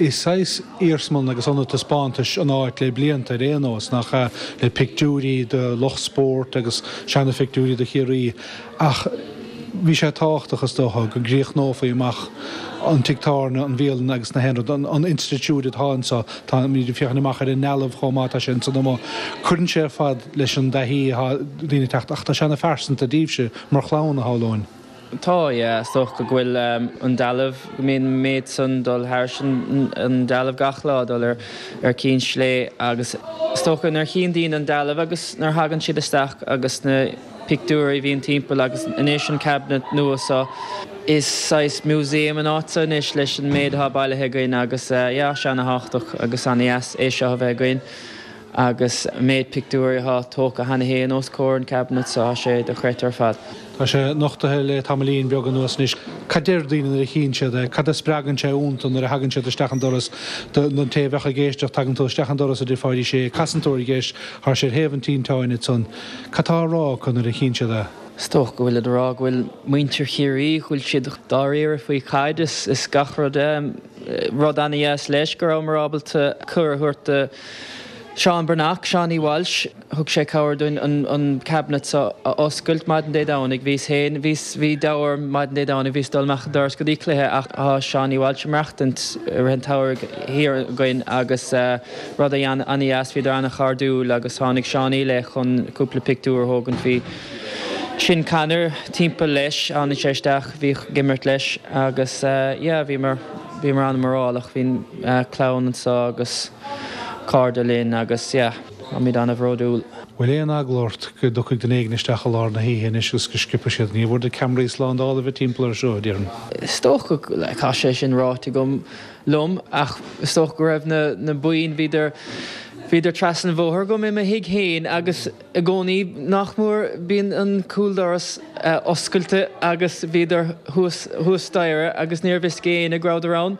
Is saghas iarsmalann agus ionad taispeántais an áit le blianta ar aon nós, nach ea, le pictiúirí de lucht spóirt agus seana-phictiúirí de Chiarraí ach bhí sé tábhachtach, is dócha, go gcríochnófaí amach an tigh tábhairne, an bhialann agus na haon rud, an institiúid atá anseo. Táimid ag féachaint amach ar an ndealbh chomh maith, tá sé ansan amuigh. Cuireann sé ar fad leis an dtaithí atá daoine ag teacht ach tá sé ana-phearsanta daoibhse mar chlann, a shamhlóinn. Tá, yeah. Is dócha go bhfuil an dealbh, go mbíonn an méid san dul thairis an dealbh gach lá, dul ar ar Cinn Slé agus is dócha nuair a chíonn daoine an dealbh agus nuair a thagann siad isteach agus na pictiúirí a bhíonn timpeall agus anois an cabinet nua seo, is saghas museum an áit seo anois leis an méid atá bailithe againn agus yeah, sé ana-thábhachtach agus ana-dheas é seo a bheith againn. Agus an méid pictiúirí atá tógtha cheana féin os comhair an cabinet so tá sé dochreidte ar fad. Tá sé nochtaithe le tamaillín beag anuas anois. Cad deir daoine nuair a chíonn siad é? Cad a spreagann sé iontu nuair a thagann siad isteach an doras? Don té a bheadh ag éisteacht, tagann tú isteach an doras i dTigh Pháidí Sé, casann tú ar dheis, tá sé ar thaobh an tinteáin ansan. Cad tá á rá acu nuair a chíonn siad é? Is dócha go bhfuilid ag rá go bhfuil muintir Chiarraí, go bhfuil siad dáiríre faoi caid is is gach rud. Rud ana-dheas leis go rabhamar ábalta cuireadh a thabhairt do Seán Breathnach, Seánie Walsh, thug sé cabhair dúinn an an cabinet seo a oscailt maidin Dé Domhnaigh. Bhíos féin, bhíos, bhí deabhadh orm maidin Dé Domhnaigh, bhíos ag dul amach an doras go dtí cluiche ach tá Seánie Walsh ag maireachtaint i rith an tsamhraidh thiar againn agus rud a ana-dheas, bhíodar ana-chairdiúil agus tháinig Seánie le chun cúpla pictiúr a thógaint. Bhí Sin Conor timpeall leis, tháinig sé isteach, bhíodh ag imirt leis agus yeah bhíomar, bhíomar an-mhórálach, bhí an clann anseo agus. cairde linn agus yeah, táimid an-bhródúil. Bhfuil aon eagla ort go dtiocfaidh duine éigin isteach i lár na hoíche anois agus go sciobfaidh siad? Ní bhfuair do ceamaraí slándála a bheith timpeall air seo, déarfainn. Is dócha, like, tá sé sin ráite agam liom ach is dócha go raibh na na boinn, bhíodar, bhíodar trasna an bhóthair agam i mo thigh féin agus i gcónaí nach mór bíonn an cúldoras oscailte agus bhíodar thuas thuas staighre agus níorbh fhios ag éinne go rabhadar ann.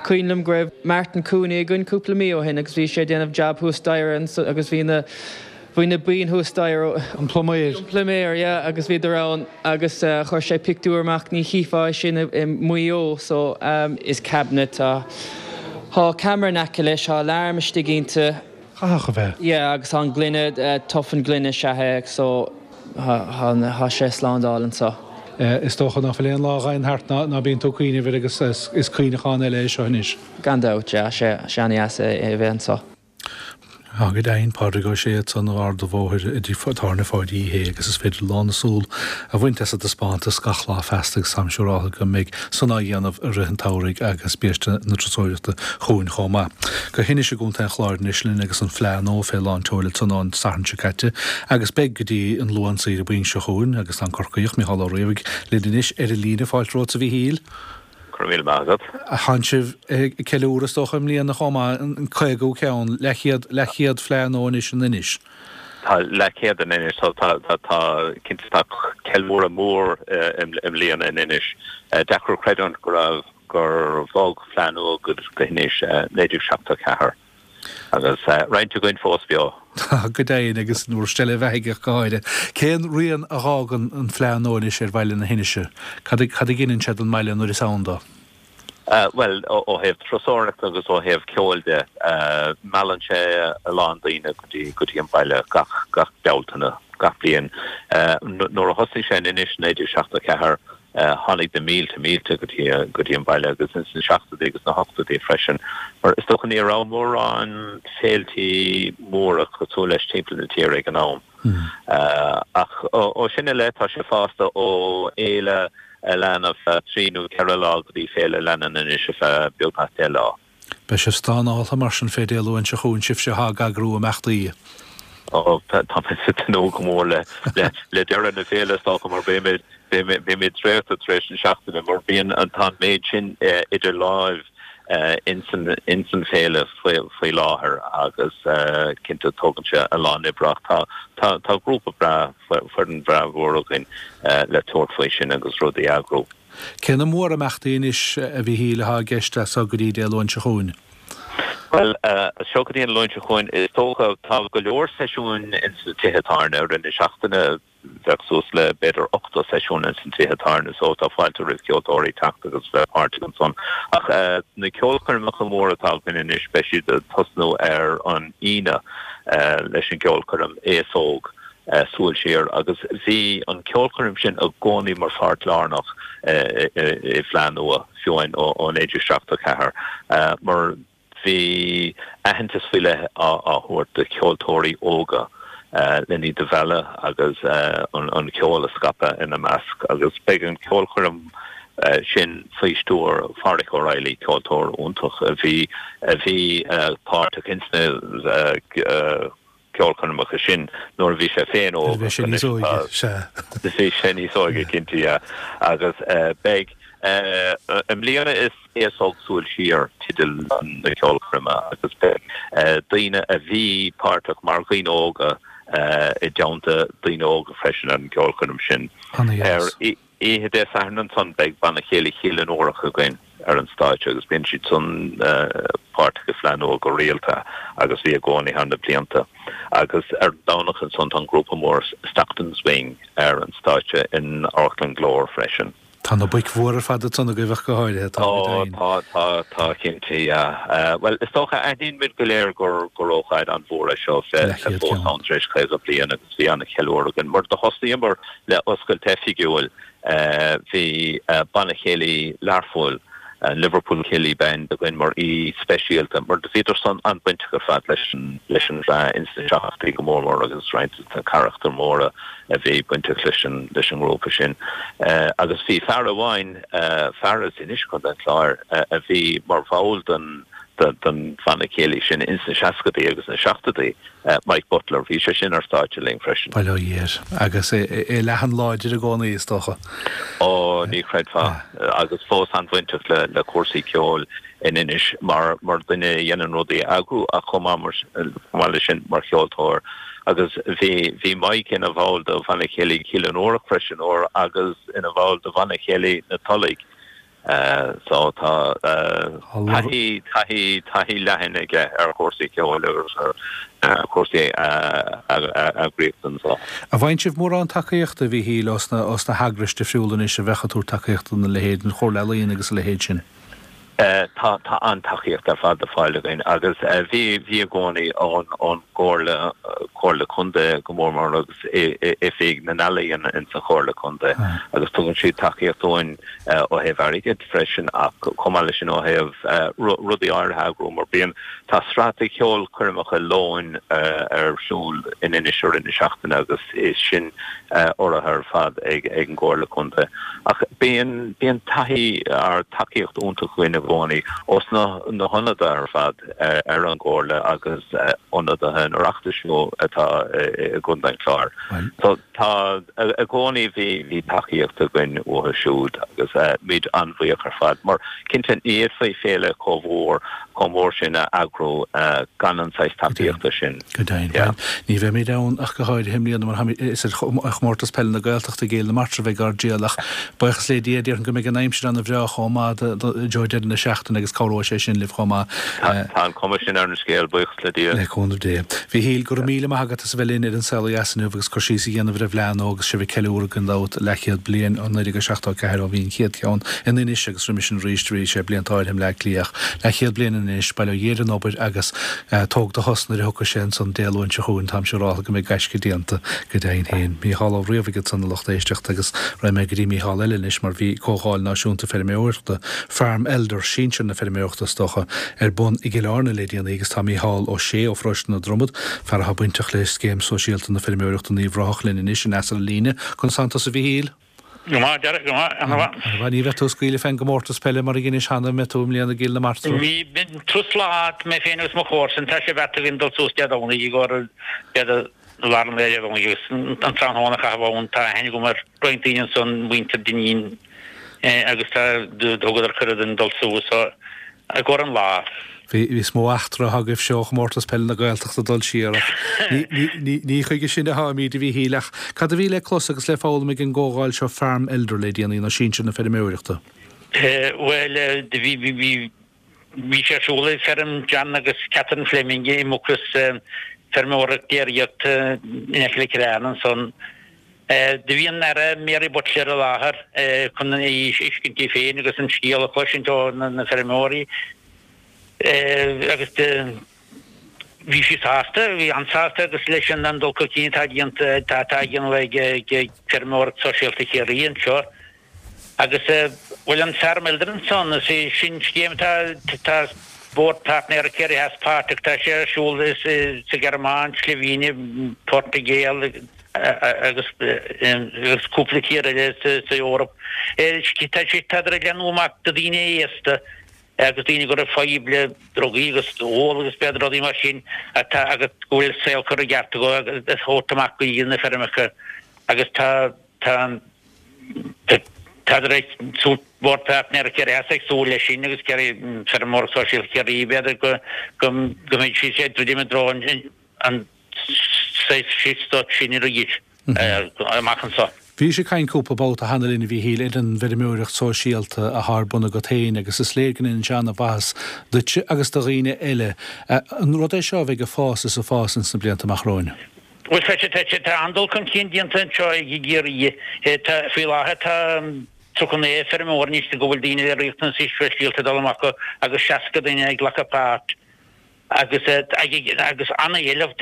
Cuimhin liom go raibh Martin Cooney againn cúpla mí ó shin agus bhí sé ag déanamh jab thuas staighre agus bhí na bhí na boinn thuas staighre. An pluiméir. An pluiméir, yeah, agus bhíodar ann agus chuir sé pictiúr amach, ní chífeá é sin i Maigh Eo so is cabinet tá tá ceamara in aice leis, tá alarm istigh inti. Chaithfeadh a bheith. Yeah, agus tá an gloine, tafann gloine is ea é so tá sé slándáil anseo. Is dócha ná fuil aon lá a ghabhann thart ná bíonn tú ag cuimhneamh air agus is cuimhneachán eile é seo anois. Gan dabht, yeah, sé sé an-dheas é a bheith anseo. Tá go deimhin, Pádraig Ó Sé ansan ó Ard an Bhóthair i dTigh Tábhairne Pháidí Uí Shé agus is féidir lán na súl a bhaint as an dtaispeántas gach lá feasta agus táim siúráltha go mbeidh san á dhéanamh i rith an tsamhraidh agus biaiste na turasóireachta chugainn chomh maith. Go hInis i gContae an Chláir anois linn agus an Fleadh Nua fé lán tseoil ansan ón Satharn seo caite agus beidh go dtí an Luan saoire buí seo chugainn agus tá an Corcaíoch, Mícheál Ó Riabhaigh, linn anois ar an líne. Fáilte romhat a Mhíchíl. Go raibh míle maith agat. Tánn sibh ag ceiliúradh is dócha i mbliana chomh maith, an caogadú ceann, leathchéad, leathchéad Fleadh Nua anois in Inis. Tá leathchéad in Inis, tá, tá, tá, cinnte tá ceiliúradh mór i mbliana in Inis. Deacair creidiúint go raibh gur bhog Fleadh Nua go hInis naoi déag seachtó a ceathair agus roinnt againn fós beo. Tá, go deimhin, agus bhur seilbh bheathaigh ach go háirithe. Cén rian a dh'fhágann an Fleadh Nua anois ar bhaile na hInise? Cad a cad a ghineann sé don mbaile nuair is ann dó? Bhuel, ó thaobh turasóireachta agus ó thaobh ceoil de, meallann sé a lán daoine go dtí go dtí an baile gach gach Bealtaine, gach bliain. Nuair a thosaigh sé in Inis naoi déag seachtó ceathair, Tháinig na mílte mílte go dtí go dtí an baile agus ins na seachtóidí agus na hochtóidí freisin mar is dócha ní raibh mórán féiltí móra cosúil leis timpeall na tíre ag an am. Ach ó sin i leith tá sé fásta ó fhéile a lean ar feadh trí nó ceithre lá go dtí féile a leanann anois ar feadh beagnach deich lá. Beidh sibh stánáltha mar sin fé Dé Luain seo chugainn, sibhse atá ag eagrú imeachtaí. Ó, tá mé ag tnúth go mór le le deireadh na féile is dócha mar beimid beimid traochta tar éis na seachtaine mar bíonn an tá an méid sin idir láimh ins an ins an féile faoi faoi láthair agus cinnte tógann sé a lán oibre ach tá tá tá grúpa breá foireann bhreá mhór againn le tabhairt faoi sin agus rudaí a eagrú. Cé na mórimeachtaí anois a Mhíchíl atá i gceist as seo go dtí Dé Luain seo chugainn? Bhuel, as seo go dtí an Luan seo chugainn, is dócha, tá go leor seisiúin ins na tithe tábhairne. I rith na seachtaine bheadh suas le b'fhéidir ochtó seisiún ins na tithe tábhairne so tá fáilte roimh cheoltóirí teacht agus bheith páirteach ansan. Ach na ceolchoirmeacha móra atá againn anois, beidh siad ag tosnú ar an Aoine leis an gceolchoirm Aos Óg. Súil Siar agus bhí an ceolchoirm sin i gcónaí mar pháirt lárnach i bhFleadh Nua, fiú amháin ó naoi déag seachtó ceathair, mar bhí aitheantas faoi leith á thabhairt do cheoltóirí óga len iad a mhealladh agus an ceol a scaipeadh ina measc agus beidh an ceolchoirm sin faoi stiúir Pháraic O'Reilly, ceoltóir iontach a bhí a bhí páirteach ins na ceolchoirmeacha sin nuair a bhí sé féin óg. Bhí sé níos óige, sea. Bhí sé níos óige, cinnte, yeah. Agus beidh I mbliana is Aos Óg Súil Siar teideal na ceolchoirme agus beidh daoine a bhí páirteach mar dhaoine óga i dteannta daoine óga freisin ar an gceolchoirm sin. Ar oíche Dé Sathairn ansan beidh Banna Céilí Chill an Eorach againn ar an stáitse agus bíonn siad san páirteach i Fleadh Nua go rialta agus bhí i gcónaí thar na blianta. Agus ar an Domhnach ansan tá an grúpa mór Stockton's Wing ar an stáitse in Amharclann Glór freisin. Tá na boic mhóra ar fad ansan agaibh ach go háirithe, tá, go deimhin. Ó, tá, tá, tá, cinnte, yeah. Bhuel, is dócha, aithníonn muid go léir gur, gur ócáid an-mhór é seo bheith fós ann tar éis caoga bliain agus bhí an-cheiliúradh againn. Mar do thosnaíomar le oscailt oifigiúil, bhí Banna Céilí Learphoill, an Liverpool Céilí Band againn mar aoi speisialta, mar do bhíodar san an-bhainteach ar fad leis an leis an bhFleadh ins na seachtóidí go mór mór agus roinnt de na carachtair mhóra a bhí bainteach leis an leis an ngrúpa sin. Agus bhí fear amháin, fear as Inis, Contae an Chláir, a bhí mar bhall den den bhanna céilí sin ins na seascadaí agus na seachtóidí, Mike Butler, bhí sé sin ar stáitse linn freisin. Bail ó Dhia air. Agus é leathan láidir i gcónaí, is dócha. Ó, ní chreidfeá. Agus fós an-bhainteach le le cúrsaí ceoil in Inis mar mar dhuine a dhéanann rudaí a eagrú ach chomh maith chomh maith leis sin mar cheoltóir. Agus bhí bhí Mike ina bhall de Bhanna Céilí Chill an Eorach freisin uair agus ina bhall de Bhanna Céilí na Tulaigh. So tá taithí, taithí, taithí leathan aige ar chúrsaí ceoil agus ar chúrsaí eagraíochta anso. An bhfaigheann sibh mórán tacaíochta, a Mhíchíl, ós na, ós na heagrais difriúla anois a bheadh ag tabhairt tacaíochta do na leithéid, an Chomhairle Ealaíon agus a leithéid sin? Tá, tá an-tacaíocht ar fad le fáil againn agus bhí, bhí i gcónaí ón, ón gComhairle, Comhairle Contae go mór mór agus Oifig na nEalaíon ins an Chomhairle Contae agus tugann siad tacaíocht dúinn ó thaobh airgid freisin ach chomh maith leis sin ó thaobh rudaí áirithe a eagrú mar bíonn, tá sraith de cheolchoirmeacha lóin ar siúl in Inis i rith na seachtaine agus is sin urraithe ar fad ag an gComhairle Contae. Ach bíonn, bíonn taithí, tacaíocht iontach againn i gcónaí ós na na hionadaithe ar fad ar an gComhairle agus ionadaithe an Oireachtais atá i gContae an Chláir. So tá i gcónaí bhí bhí tacaíocht againn uathu siúd agus muid an-bhuíoch ar fad mar cinnte ní fhéadfaí féile chomh mhór chomh mór sin a eagrú gan an saghas tacaíochta sin. Go deimhin. Bhuel, ní bheimid ann ach go háirithe i mbliana mar táimid, is ar Chomórtas Peile na Gaeltachta i gCill na Martra a bheidh ár dtriall ach buíochas le Dia déarfainn go mbeidh an aimsir ana-bhreá chomh maith i dtreo deireadh na seachtaine agus cabhróidh sé sin libh chomh maith. Tá an chuma sin ar an scéal, buíochas le Dia. Le cúnamh Dé. A Mhíchíl, go raibh míle maith agat as a bheith linn ar An Saol Ó Dheas inniu agus cur síos a dhéanamh ar an bhFleadh Nua agus sibh ag ceiliúradh gan dabht leathchéad bliain ó naoi déag seachtó a ceathair ó bhí an chéad cheann in Inis agus roimis sin arís bhí sé blianta áirithe i mBleá Cliath ach leathchéad bliain in Inis, bail ó Dhia ar an obair agus tóg do shos nuair a thiocfaidh sé ansan Dé Luain seo chugainn, táim siúráltha go mbeidh gaisce déanta go deimhin féin. Mícheál Ó Riabhaigh ansan a lucht éisteachta agus raghaidh mé go dtí Mícheál eile anois mar bhí Comhdháil Náisiúnta Feirmeoireachta, Farm Elder, sinsir na feirmeoireachta is dócha, ar bun i gCill Airne le déanaí agus tá Mícheál Ó Sé ó Pharóiste na Dromad, fear atá bainteach le Scéim Sóisialta na Feirmeoireachta in Uíbh Ráthach linn anois aneas ar an líne. Conas tánn tusa a Mhíchíl? Go maith, Derek, go maith, ana-mhaith. Ana-mhaith. Ní bheidh tú ag scaoileadh fén gcomórtas peile mar a dheinis cheana, an mbeidh tú i mbliana i gCill na Martra? Bhí turas lá mé féin agus mo chomharsan, tá sé beartaithe againn dul suas Dé Domhnaigh i gcomhair b'fhéidir lár an lae Dé Domhnaigh agus an tráthnóna a chaitheamh ann. Tá aithne agam ar roinnt daoine ansan, muintir Dineen agus tá, thugadar cuireadh dúinn dul suas so i gcomhair an lá. Bhí, is mó eachtra atá agaibhse ó Chomórtas Peile na Gaeltachta ag dul siar ach ní, ní, ní, ní chuige sin atháimid, a Mhíchíl, ach cad a bhí le clos agus le foghlaim ag an gcomhdháil seo Farm Elder le déanaí, nó Sinsir na Feirmeoireachta? Bhuel, bhí, bhí, bhí, bhí sé ar siúl ag feirm John agus Catherine Fleming i Mucros, feirmeoireacht déiríochta in aice le Cill Airne ansan. Do bhí an Aire Mary Butler i láthair chun í a fheiscint í féin agus an scéal a chloisint ó na feirmeoirí. Agus bhí sí sásta, bhí an-sásta agus leis an dul chun cinn atá déanta, atá á dhéanamh ag Feirmeoireacht Sóisialta Chiarraí anseo. Agus bhuel an Farm Elder ansan, is é sin scéim atá, tá Bord Páirtnéireachta Chiarraí Theas páirteach, tá sé ar siúl sa Ghearmáin, Sloivéine, Portaingéil agus agus cúpla tír eile sa Eoraip. Tá sé, tádar ag leathnú amach do daoine aosta. agus daoine go raibh fadhb le drugaí agus ól agus b'fhéidir rudaí mar sin atá agus go bhfuil a saol curtha i gceart acu agus a thabhairt amach go dtí na feirmeacha agus tá tá tá Tádar ag súil Bord Páirtnéireachta Chiarraí Theas ag súil leis sin agus Feirmeoireacht Sóisialta Chiarraí b'fhéidir go go mbeidh siad ag druidim i dtreo an saghas sin arís amach anseo. Bhís ag caint cúpla babhta cheana linn a Mhíchíl ar an bhfeirmeoireacht sóisialta athá ar bun agat féin agus is léir go ndéanann sé ana-mhaitheas duitse agus do dhaoine eile. An rud é seo a bheidh ag fás is ag fás ins na blianta amach romhainn? Bhuel, tá sé, tá sé, tá an-dul chun cinn déanta anseo i gCiarraí. Tá, faoi láthair tá tríocha naoi feirmeoir anois go bhfuil daoine le riachtanais speisialta ag dul amach agus seasca duine ag glacadh páirt. Agus agus an-éileamh,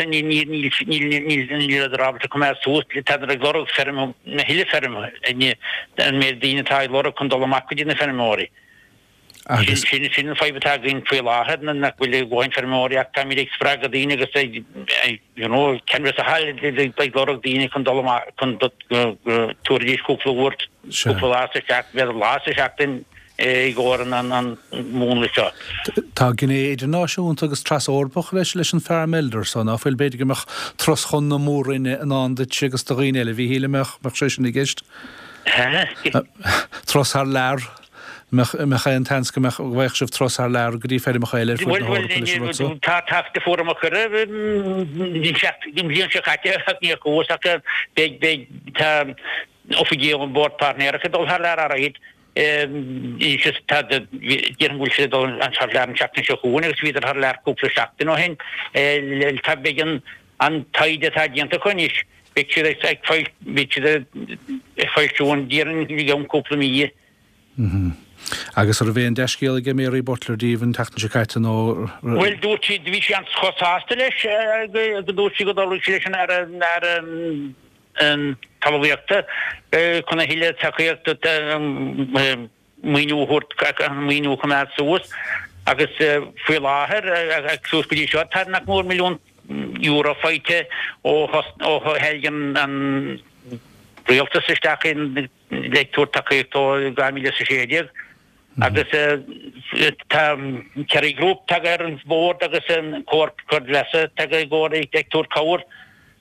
níleadar ábalta coimeád suas, tádar ag lorg feirm, a thuilleadh feirm, an méid daoine atá ag lorg chun dul amach go dtí na feirmeoirí. Sin sin sin an fadhb atá againn faoi láthair, nach bhfuil a dhóthain feirmeoirí ach táimid ag spreagadh daoine agus ag you know ceann sa hall ag lorg daoine chun dul amach chun go dtabharfaidís cúpla uair, cúpla lá sa seachtain, b'fhéidir lá sa seachtain, i gcomhair an mhúnla seo. Tá gné idirnáisiúnta agus tras-Eorpach leis leis an Farm Elder so, ná fuil? B'fhéidir go mbeadh turas chun na Mór-Roinne i ndán duitse agus do dhaoine eile, a Mhíchíl, an mbeadh, mbeadh sé sin i gceist? Turas thar lear? Mbeadh, mbeadh aon tseans go mbeadh, go bhfaigheadh sibh turas thar lear go dtí feirmeacha eile ar fud na Bhuel, hEorpa leis an rud so? tá, tá, fuair muid cuireadh an bhliain seo caite ach níor chuas ach beidh, beidh, tá oifigigh ón Bhord Páirtnéireachta ag dul thar lear alright. Déarfainn go bhfuil siad ag dul thar lear an tseachtain seo chugainn agus bhíodar thar lear cúpla seachtain ó shin. Tá beidh an taighde atá déanta acu anois, beidh siad ag beidh siad ag foilsiú an déarfainn i gceann cúpla mí. Agus an raibh aon dea-scéal aige Mary Butler daoibh an tseachtain seo caite nó? Bhuel dúirt sí, bhí sí an-chomh sásta leis go dúirt sí go dtabharfadh sí leis an Aire Talmhaíochta chun a thuilleadh tacaíochta maoiniú a thabhairt, an maoiniú a choimeád suas agus faoi láthair suas go dtí seo tá nach mór milliún euro faighte ó theilg an rialtas isteach le tabhairt tacaíocht ó dhá mhíle is a sé déag. Agus tá Kerry Group tagtha ar an bhord agus an Comhar Creidmheasa tagtha i gcomhair ag tabhairt cabhair.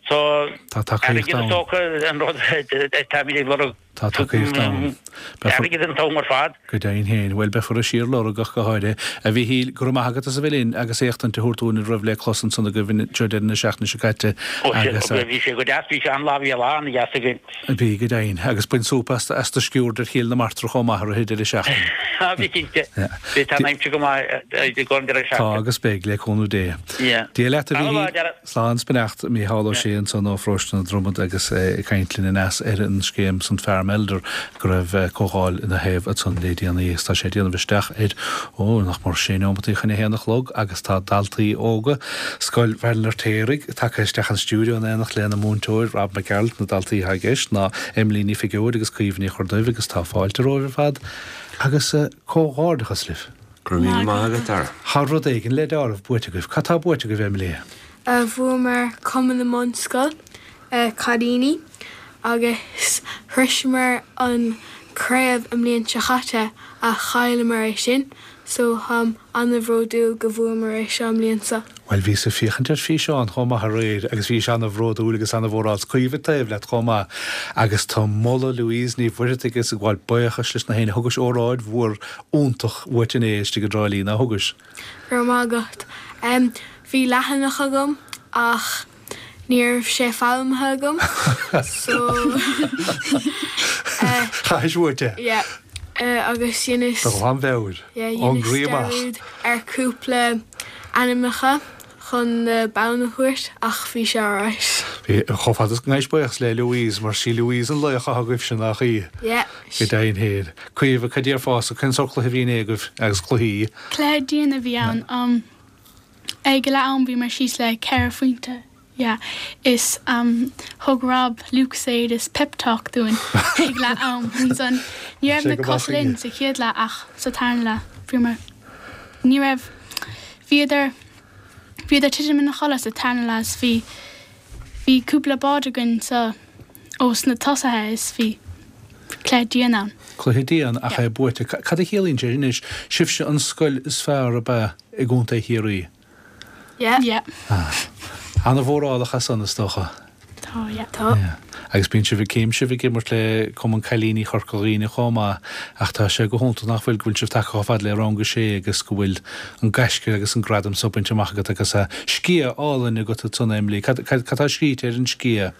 So Tá tacaíocht airgead is ann. dócha an rud atáimid ag lorg. Tá tacaíocht ann. Beifear. Airgead an t-am ar fad. Go deimhin féin. Bhuel, beifear ag síorlorg ach go háirithe. A Mhíchíl, go raibh maith agat as a bheith linn agus éachtaint a thabhairt dúinn ar a raibh le clos ansan agaibh anseo deireadh na seachtaine seo caite Ó, sé, agus. bhí sé go deas, bhí sé an-lá, bhí lá an-deas againn. Bhí, go deimhin. Agus bain súp as as do sciúrd ar Chill na Martra chomh maith i rith an deireadh seachtaine. Á, bhí cinnte. Bhí, tá an aimsir go maith i gcomhair an deireadh Tá seachtaine. agus beidh, le cúnamh Dé. Yeah. Dia leat a Tá Mhíchíl. lá deireadh. Slán 's beannacht, Mícheál Ó Sé ansan ó Pharóiste na Dromad agus é ag caint linn aneas ar an scéim san Farm Elder go raibh comhdháil ina thaobh ansan le déanaí agus tá sé ag déanamh isteach ar, ó, nach mór sé neomataí chun a haon a chlog agus tá daltaí óga Scoil Bhaile an Fheirtéaraigh tagtha isteach an stiúideo in éineacht lena múinteoir Rob Mac Gearailt, na daltaí atá i gceist ná Emily Ní Phigeoid agus Caoimhe Ní Chorrduibh agus tá fáilte romhaibh ar fad agus comhghairdeachas libh. Go raibh míle maith agat, Dara. Tá rud éigin le deáramh buaite agaibh. Cad tá buaite agaibh, Emily? Bhuamar Cumann na mBunscol, cailíní, agus shroiseamar an craobh an mbliain seo chaite ach chailleamar é sin so táim ana-bhródúil go bhfuamar é seo an mbliain seo. Bhuel, bhíos ag féachaint ar físeán chomh maith aréir agus bhís ana-bhródúil agus ana-mhórálta 's Caoimhe taobh leat chomh maith agus tá moladh Louise Ní Mhuircheartaigh is ag gabháil buíochais leis na héinne. Thugais óráid mhór iontach uait inné istigh i dTrá Lí, ná thugais? Go raibh maith agat. Bhí leathanach agam ach ní raibh sé foghlamtha agam so eh Chaithis uait é? yeah agus dheineas De ghlanmheabhair, yeah ón dheineas gcroí amach. dearúd ar cúpla ainmneacha chun na bonn a thabhairt ach bhí sé alright. Bhí, chomh fada is go ngabhais buíochas le Louise mar sí Louise an laoch atá agaibhse nach í? Yeah. Go deimhin féin. Caoimhe, cad déarfása, cén sórt cluiche a bhí inné agaibh agus cluichí? Cluiche dian a bhí ann. Um, ag leath am bhíomar síos le ceithre phointe. Yeah. Is um, thug Rob Lucozade is pep talk dúinn ag leath am. Ansan ní raibh Sé na go cosa maith linn aige. sa chéad leath ach sa tarna leath bhíomar ní raibh bhíodar bhíodar titim ina chodladh sa tarna leath is bhí bhí cúpla bád againn sa ós na tosaithe is bhí cluiche dian ann. Cluiche dian ach é buaite. Cad a chiallaíonn sé anois? Sibhse an scoil is fearr ab ea i gContae Chiarraí? Yeah. Yeah. Ah. Ana-mhórálach as san is dócha. Tá, yeah. Tá. Yeah. Agus bíonn sibh ag céim sibh ag imirt le Cumann Cailíní Chorca Dhuibhne chomh maith ach tá sé go hiontach nach bhfuil go bhfuil sibh tagtha chomh fada le rang a sé agus go bhfuil an gaisce agus an gradam so bainte amach agat agus a sciath álainn agat ansan Emily. Cad cad cad tá scríte ar an sciath?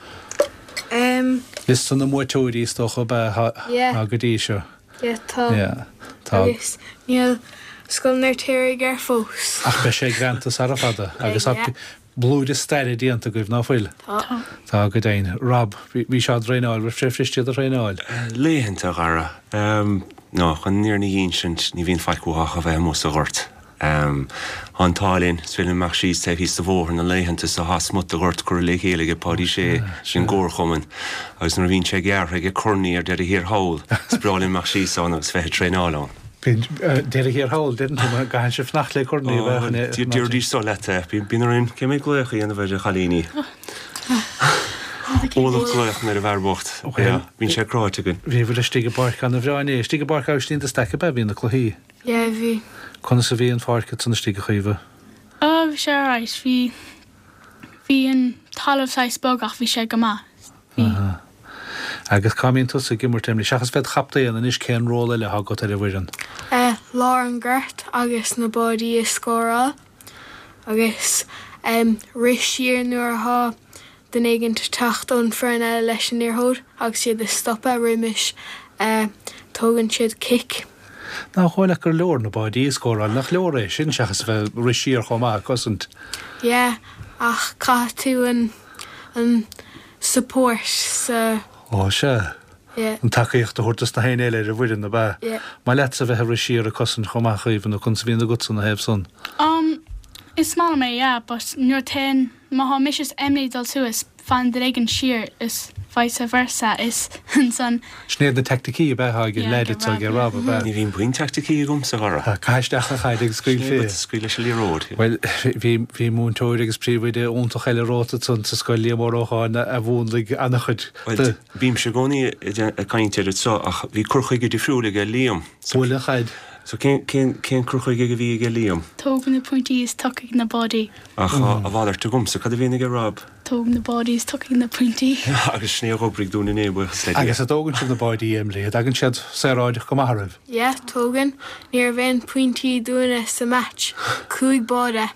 Um, Liosta na mbuaiteoirí is dócha ab ea Yeah. go dtí seo. Yeah, tá. Yeah, tá. Agus níl Scoil an Fheirtéaraigh air fós. Ach beidh sé greanta sara fada agus Yeah. blúire staire déanta agaibh ná fuil? Tá. Tá go deimhin. Rob, bhí sé á dtraenáil, raibh sé fuirist a thraenáil? Laethanta a Dhara. No, chun an fhírinne a insint ní bhíonn faic uathu ach a bheith amuigh sa ghort. Tá an t-ádh linn, is féidir linn imeacht síos taobh thíos de bhóthar na laethanta so tá smut de ghort curtha le chéile ag Páidí Sé, sin gcomharchumann, agus nuair a bhíonn sé gearrtha ag Corny ar deireadh thiar thall, is breá linn imeacht síos ann agus bheith ag traenáil ann. Bíonn deireadh thiar thall, deireann tú, mar gcaitheann sibh fanacht le Corny a bheith chun. Déarfaidís so leat é. Bíonn orainn cé mhéad glaoch a dhéanamh ar a chailíní. Ualach glaochanna ar an bhfear bocht. Bíonn sé cráite againn. Bhíobhair istigh i bPáirc ana-bhreá inné. Istigh i bPáirc Aibhistín de Staic ab ea a bhí na cluichí? Yeah, bhí. Conas a bhí an pháirc ansan istigh a Chaoimhe? Oh, bhí sé alright. Bhí bhí an talamh saghas bog ach bhí sé go maith. Bhí. Aha. Agus cá mbíonn tusa ag imirt, Emily? Seachas bheith i do chaptaen anois cén ról eile atá agat ar an bhfoireann? Eh, lár an ghort agus na báidí a scóráil agus em rith siar nuair atá duine éigin ag teacht ón foireann eile leis an liathróid agus iad a stopadh roimis eh tógann siad cic. Nach dóigh leat gur leor na báidí a scóráil? Nach leor é sin seachas a bheith ag rith siar chomh maith ag cosaint? Yeah, ach caithfidh tú an an support sa. Ó sea. Yeah. An tacaíocht a thabhairt dos na héinne eile ar an bhfoireann, ab ea? Yeah. Maith leatsa a bheith ag rith siar ag cosaint chomh maith, a Chaoimhe, nó conas a bhíonn agatsa ina thaobh san? Um, is maith liom é, yeah, but nuair téann, má thá mise is Emily ag dul suas, fanann duine éigin siar is vice versa is ansan. Sin iad na teaicticí ab ea atá ag an Yeah, leaid ag atá ag Rob, Rob, ab ea? Ní bhíonn puinn teaicticí agamsa, a Dhara. Caith isteach an chaid agus scaoil Sin fé. é, but scaoil leis an liathróid. Bhuel, bhí, bhí múinteoir agus príomhoide iontach eile romhat ansan sa scoil, Liam Ó Rócháin, a mhúnlaigh an-chuid Bhuel, de. bímse i gcónaí ag caint air anseo ach bhí cur chuige difriúil aige Liam. Buail an chaid. So cén, cén, cén cur chuige a bhí aige Liam? Tóg na pointí is tiocfaidh na báidí. Ach tá a mhalairt agamsa, cad a bhíonn aige Rob? Tóg na báidí is tiocfaidh na pointí. Agus sin é a dh'oibrigh dúinn inné, buíochas le Dia. Agus an dtógann sibh na báidí, Emily, an dtagann siad saoráideach go maith oraibh? Yeah, tógann. Ní raibh aon pointí dúinne sa match. Cúig báide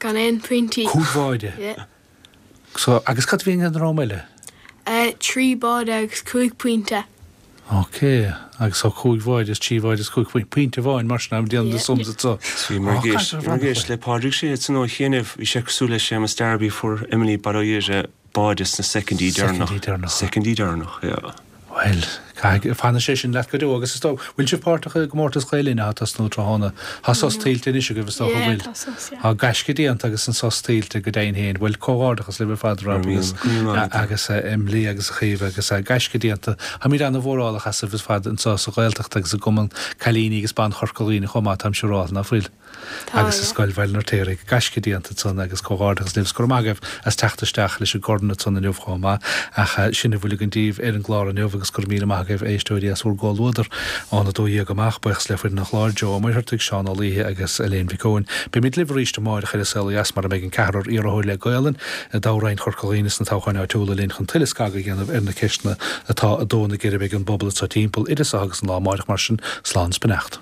gan aon pointí. Cúig bháide? Yeah. So, agus cad a bhíonn ag an dream eile? Eh, trí báide agus cúig pointe. Ok, agus so cúig bháide is trí bháide is cúig pointe, pointe amháin mar sin, am déanamh na sums anso. Bhí mar gceist, bhí mar gceist le Pádraig Sé san ó chianaibh, bhí sé cosúil le Séamus Darby fuair Emily Baile Átha Fhirdhia báide sna soicindí deireanach. Soicindí deireanach. Soicindí deireanach, yeah. Bhuel, caithfidh, fanfaidh sé sin leat go deo agus is dóigh, bhfuil sibh páirteach i gcomórtas Ghael Linn atá ag tosnú tráthnóna? Tá sos tuillte anois agaibh is dócha, Yeah, bhfuil? tá sos, yeah. Tá gaisce déanta agus an sos tuillte go deimhin féin. Bhuel, comhghairdeachas libh ar fad, Rob agus agus Emily agus a Chaoimhe agus gaisce déanta. Táimid ana-mhórálach asaibh ar fad anseo sa Ghaeltacht agus i gCumann Cailíní agus Ban Chorca Dhuibhne chomh maith, táim siúráilte, ná fuil? Tá, Agus i yeah. Scoil Bhaile an Fheirtéaraigh. Gaisce déanta ansan agus comhghairdeachas libh. 's go raibh maith agaibh as teacht isteach leis an gcorn ansan inniu chomh maith. Ach sin a bhfuil againn daoibh ar an gclár inniu agus go raibh míle maith agaibh éisteoirí as bhur gcomhluadar ón a dó dhéag amach. Buíochas le foireann an chláir, Joe Ó Muircheartaigh, Seán Ó Laoithe agus Elaine Mhic Eoin. Beimid libh arís amárach ar An Saol Ó Dheas mar a mbeidh an ceathrar iarrthóir le Gaolainn i dtoghroinn Chorca Dhuibhne sna toghcháin áitiúla linn chun tuilleadh scagadh a dhéanamh ar na ceisteanna atá ag dó na geirbe ag an bpobal anseo timpeall. Idir seo agus an lá amárach mar sin, slán is beannacht.